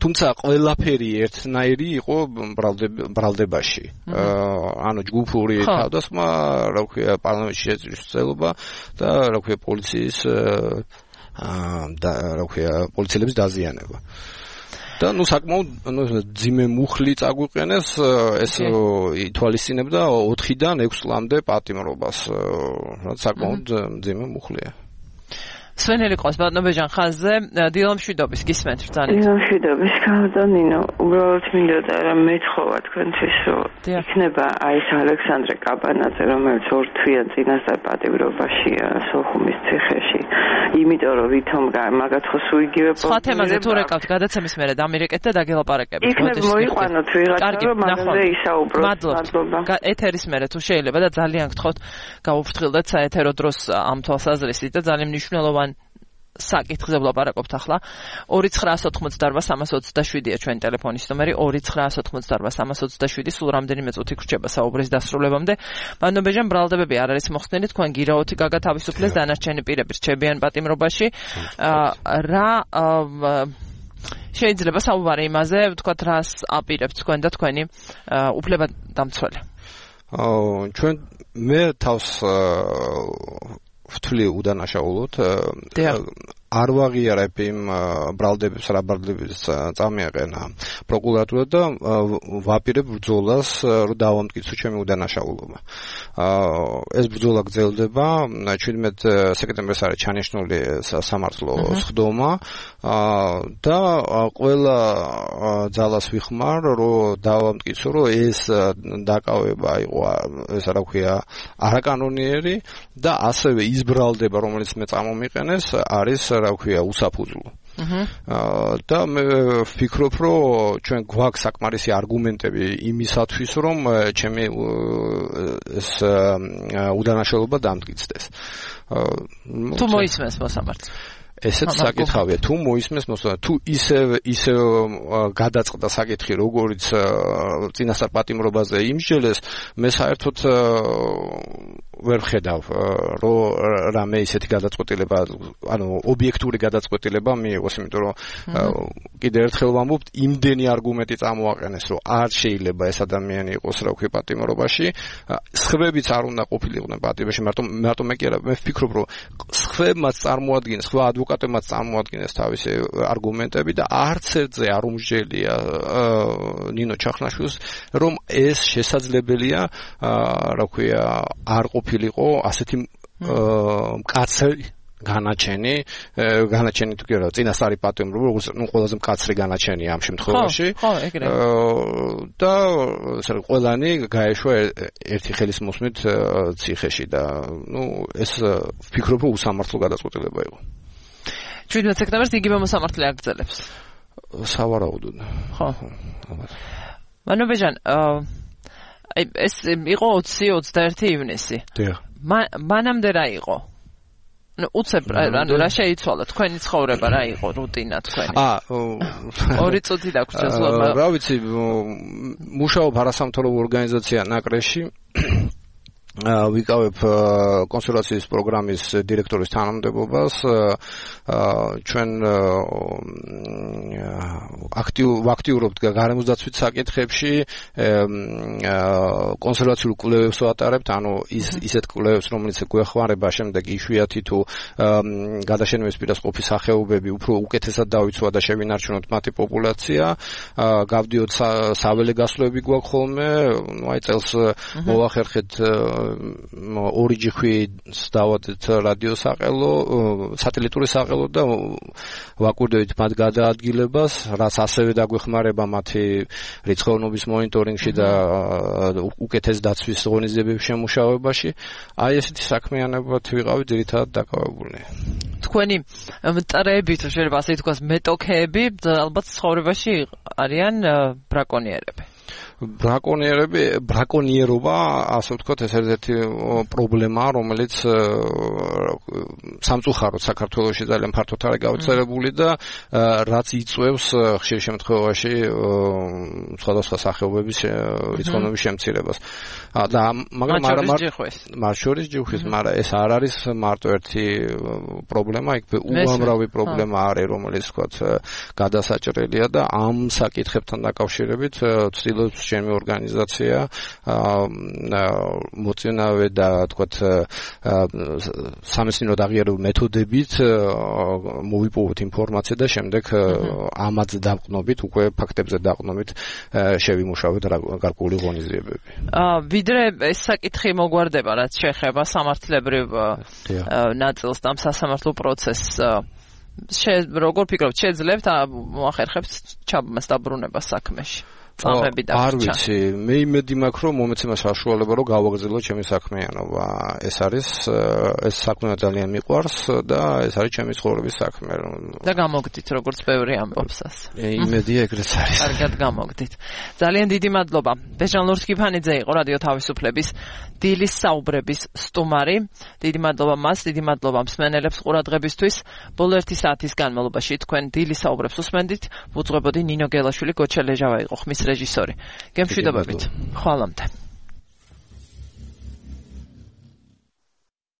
თუმცა ყველაფერი ერთნაირი იყო ბრალდებაში ანუ ჯგუფური თავდასხმა რა ქვია პარლამენტში შეწრის ცდელობა და რა ქვია პოლიციის და რა ქვია პოლიციელების დაზიანება. და ნუ საკმაოდ ნუ ძიმე მუხლი წაგვიყენეს ეს ითვალისწინებდა ოთხიდან ექვს წლამდე პატიმრობას. რაც საკმაოდ ძიმე მუხლია. სვენელი ყავს ბატონებეჯან ხაზზე დილამშვიდობის გისმენთ ბრძანეთ. დილამშვიდობის კავდანინო უბრალოდ მინდოდა რა მეთხოვა თქვენთვის რომ იქნება აი ეს ალექსანდრე კაბანაძე რომელიც ორ თვიან წინასწარ პატიმრობაშია სოხუმის ციხეში იმიტომ რომ ვითომ მაგათ ხო სულ იგივე პოზიციაზე სხვა თემაზე თუ რეკავთ გადაცემის მერე დამირეკეთ და დაგელაპარაკებით იქნებ მოიყვანოთ ვიღაცა რომ მაგაზე ისაუბროთ მადლობა ეთერის მერე თუ შეიძლება და ძალიან გთხოვთ გაუფრთხილდეთ საეთერო დროს ამ თვალსაზრისით და ძალიან მნიშვნელოვანი საკითხზე ვლაპარაკობთ ახლა ორი ცხრაას ოთხმოცდაორვა სამას ოცდაშვიდია ჩვენი ტელეფონის ნომერი ორი ცხრაას ოთხმოცდაორვა სამას ოცდაშვიდი სულ რამდენიმე წუთი გრჩება საუბრის დასრულებამდე ბანობეჯან ბრალდებები არ არის მოხსნილი თქვენ გირაოთი გაგათავისუფლეს დანარჩენი პირები რჩებიან პატიმრობაში რა შეიძლება საუბარი იმაზე ვთქვათ რას აპირებთ თქვენ და თქვენი უფლებადამცველი ჩვენ მე თავს ვთვლი უდანაშაულოდ არ ვაღიარებ იმ ბრალდებებს რა ბრალდების წამიაყენა პროკურატურა და ვაპირებ ბრძოლას რომ დავამტკიცო ჩემი უდანაშაულობა. ეს ბრძოლა გრძელდება ჩვიდმეტ სექტემბერს არის ჩანიშნული სამართლო სხდომა და ყველა ძალას ვიხმარ რომ დავამტკიცო რომ ეს დაკავება იყო ეს რა ქვია არაკანონიერი და ასევე ის ბრალდება რომელიც მე წამომიყენეს არის რა ქვია უსაფუძვლო. და მე ვფიქრობ რომ ჩვენ გვაქვს საკმარისი არგუმენტები იმისათვის რომ ჩემი ეს უდანაშაულობა დამტკიცდეს. თუ მოისმენს მოსამართლე ესეც საკითხავია თუ მოისმენს მოსამართლე თუ ისე ისე გადაწყდა საკითხი როგორც წინასწარ პატიმრობაზე იმსჯელეს მე საერთოდ ვერ ხედავ რომ რამე ისეთი გადაწყვეტილება ანუ ობიექტური გადაწყვეტილება მიიღოს იმიტომ რომ კიდევ ერთხელ ვამბობთ იმდენი არგუმენტი წამოაყენეს რომ არ შეიძლება ეს ადამიანი იყოს რა ვქი პატიმრობაში სხვებიც არ უნდა ყოფილიყვნენ პატიმრობაში მარტო მარტო მე კი არა მე ვფიქრობ რომ სხვებმაც წარმოადგენს სხვა ადვოკატებმაც წარმოადგენს თავისი არგუმენტები და არც ერთზე არ უმსჯელია ნინო ჩახნაშვილს რომ ეს შესაძლებელია რა ვქია არ ყოფილიყო ასეთი მკაცრი განაჩენი განაჩენი თუ კი არა წინასწარი პატიმრობა როგორც ნუ ყველაზე მკაცრი განაჩენია ამ შემთხვევაში და ყველანი გაეშვა ერთი ხელის მოსმით ციხეში და ნუ ეს ვფიქრობ რომ უსამართლო გადაწყვეტილება იყო შვიდმეტ სექტემბერს იგივე მოსამართლე აგრძელებს სავარაუდოდ ხო მანობეჯან ეს იყო ოცი ოცდაერთი ივნისი. დიახ. მანამდე რა იყო? ну უცებ ანუ რა შეიცვალა თქვენი ცხოვრება რა იყო რუტინა თქვენი? აა ორი წუთი დაგვრჩა ზლობა. რა ვიცი მუშაობ არასამთავრობო ორგანიზაცია ნაკრეში ვიკავებ კონსულტაციის პროგრამის დირექტორის თანამდებობას ჩვენ აქტიურ ვაქტიურობთ გარემოსდაცვით საკითხებში კონსერვაციულ კვლევებს ვატარებთ ანუ ის ისეთ კვლევებს რომელიც გვეხმარება შემდეგ იშვიათი თუ გადაშენების პირას ყოფი სახეობები უფრო უკეთესად დავიცვა და შევინარჩუნოთ მათი პოპულაცია გავდიოთ საველე გასვლები გვაქვს ხოლმე ну აი წელს მოვახერხეთ ორი ჯიხვით დავადეთ რადიო საყელო, სატელიტური საყელო და ვაკვირდებით მათ გადაადგილებას, რაც ასევე დაგვეხმარება მათი რიცხოვნობის მონიტორინგში და უკეთეს დაცვის ღონისძიებების შემუშავებაში. აი ესეთი საქმიანობებით ვიყავი ძირითადად დაკავებული. თქვენი მტრები, თუ შეიძლება ასე თქვას, მეტოქეები ალბათ ცხოვრებაში არიან ბრაკონიერები. ბრაკონიერები, ბრაკონიერობა, ასე ვთქვათ, ეს ერთ-ერთი პრობლემაა, რომელიც სამწუხაროდ საქართველოში ძალიან ფართოდ არის გავრცელებული და რაც იწვევს ხშირ შემთხვევაში სხვადასხვა სახეობების რიცხოვნობის შემცირებას. და მაგრამ მათ შორის ჯიხვის, მაგრამ ეს არ არის მარტო ერთი პრობლემა, იქ უამრავი პრობლემა არის, რომელიც ვთქვათ გადასაჭრელია და ამ საკითხებთან დაკავშირებით ცდილობს ჩემი ორგანიზაცია მოწინავე და თქვათ სამეცნიერო აღიარებულ მეთოდებით მოვიპოვოთ ინფორმაცია და შემდეგ ამაზე დაყნობით, უკვე ფაქტებზე დაყნობით შევიმუშავოთ გარკვეული ღონისძიებები. ვიდრე ეს საკითხი მოგვარდება, რაც შეეხება სამართლებრივ ნაწილს და სასამართლო პროცესს, როგორ ფიქრობთ, შეძლებთ მოახერხებთ ჩაბმას დაბრუნებას საქმეში? არ ვიცი, მე იმედი მაქვს, რომ მომეცემა საშუალება, რომ გავაგრძელო ჩემი საქმიანობა. ეს არის ეს საქმე ძალიან მიყვარს და ეს არის ჩემი ცხოვრების საქმე. და გამოგდით, როგორც ბევრი ამბობსას. იმედია ეგრეც არის. კარგად გამოგდით. ძალიან დიდი მადლობა. ბეჟან ლურჯ-კიფანიძე იყო რადიო თავისუფლების დილის საუბრების სტუმარი. დიდი მადლობა მას, დიდი მადლობა მსმენელებს ყურადღებისთვის. ბოლო ერთი საათის განმავლობაში თქვენ დილის საუბრებს უსმენდით. ვუძღვებოდი ნინო გელაშვილი, გოჩა ლეჟავა იყო ხმის რეჟისორი. გემშვიდობებით. ხვალამდე.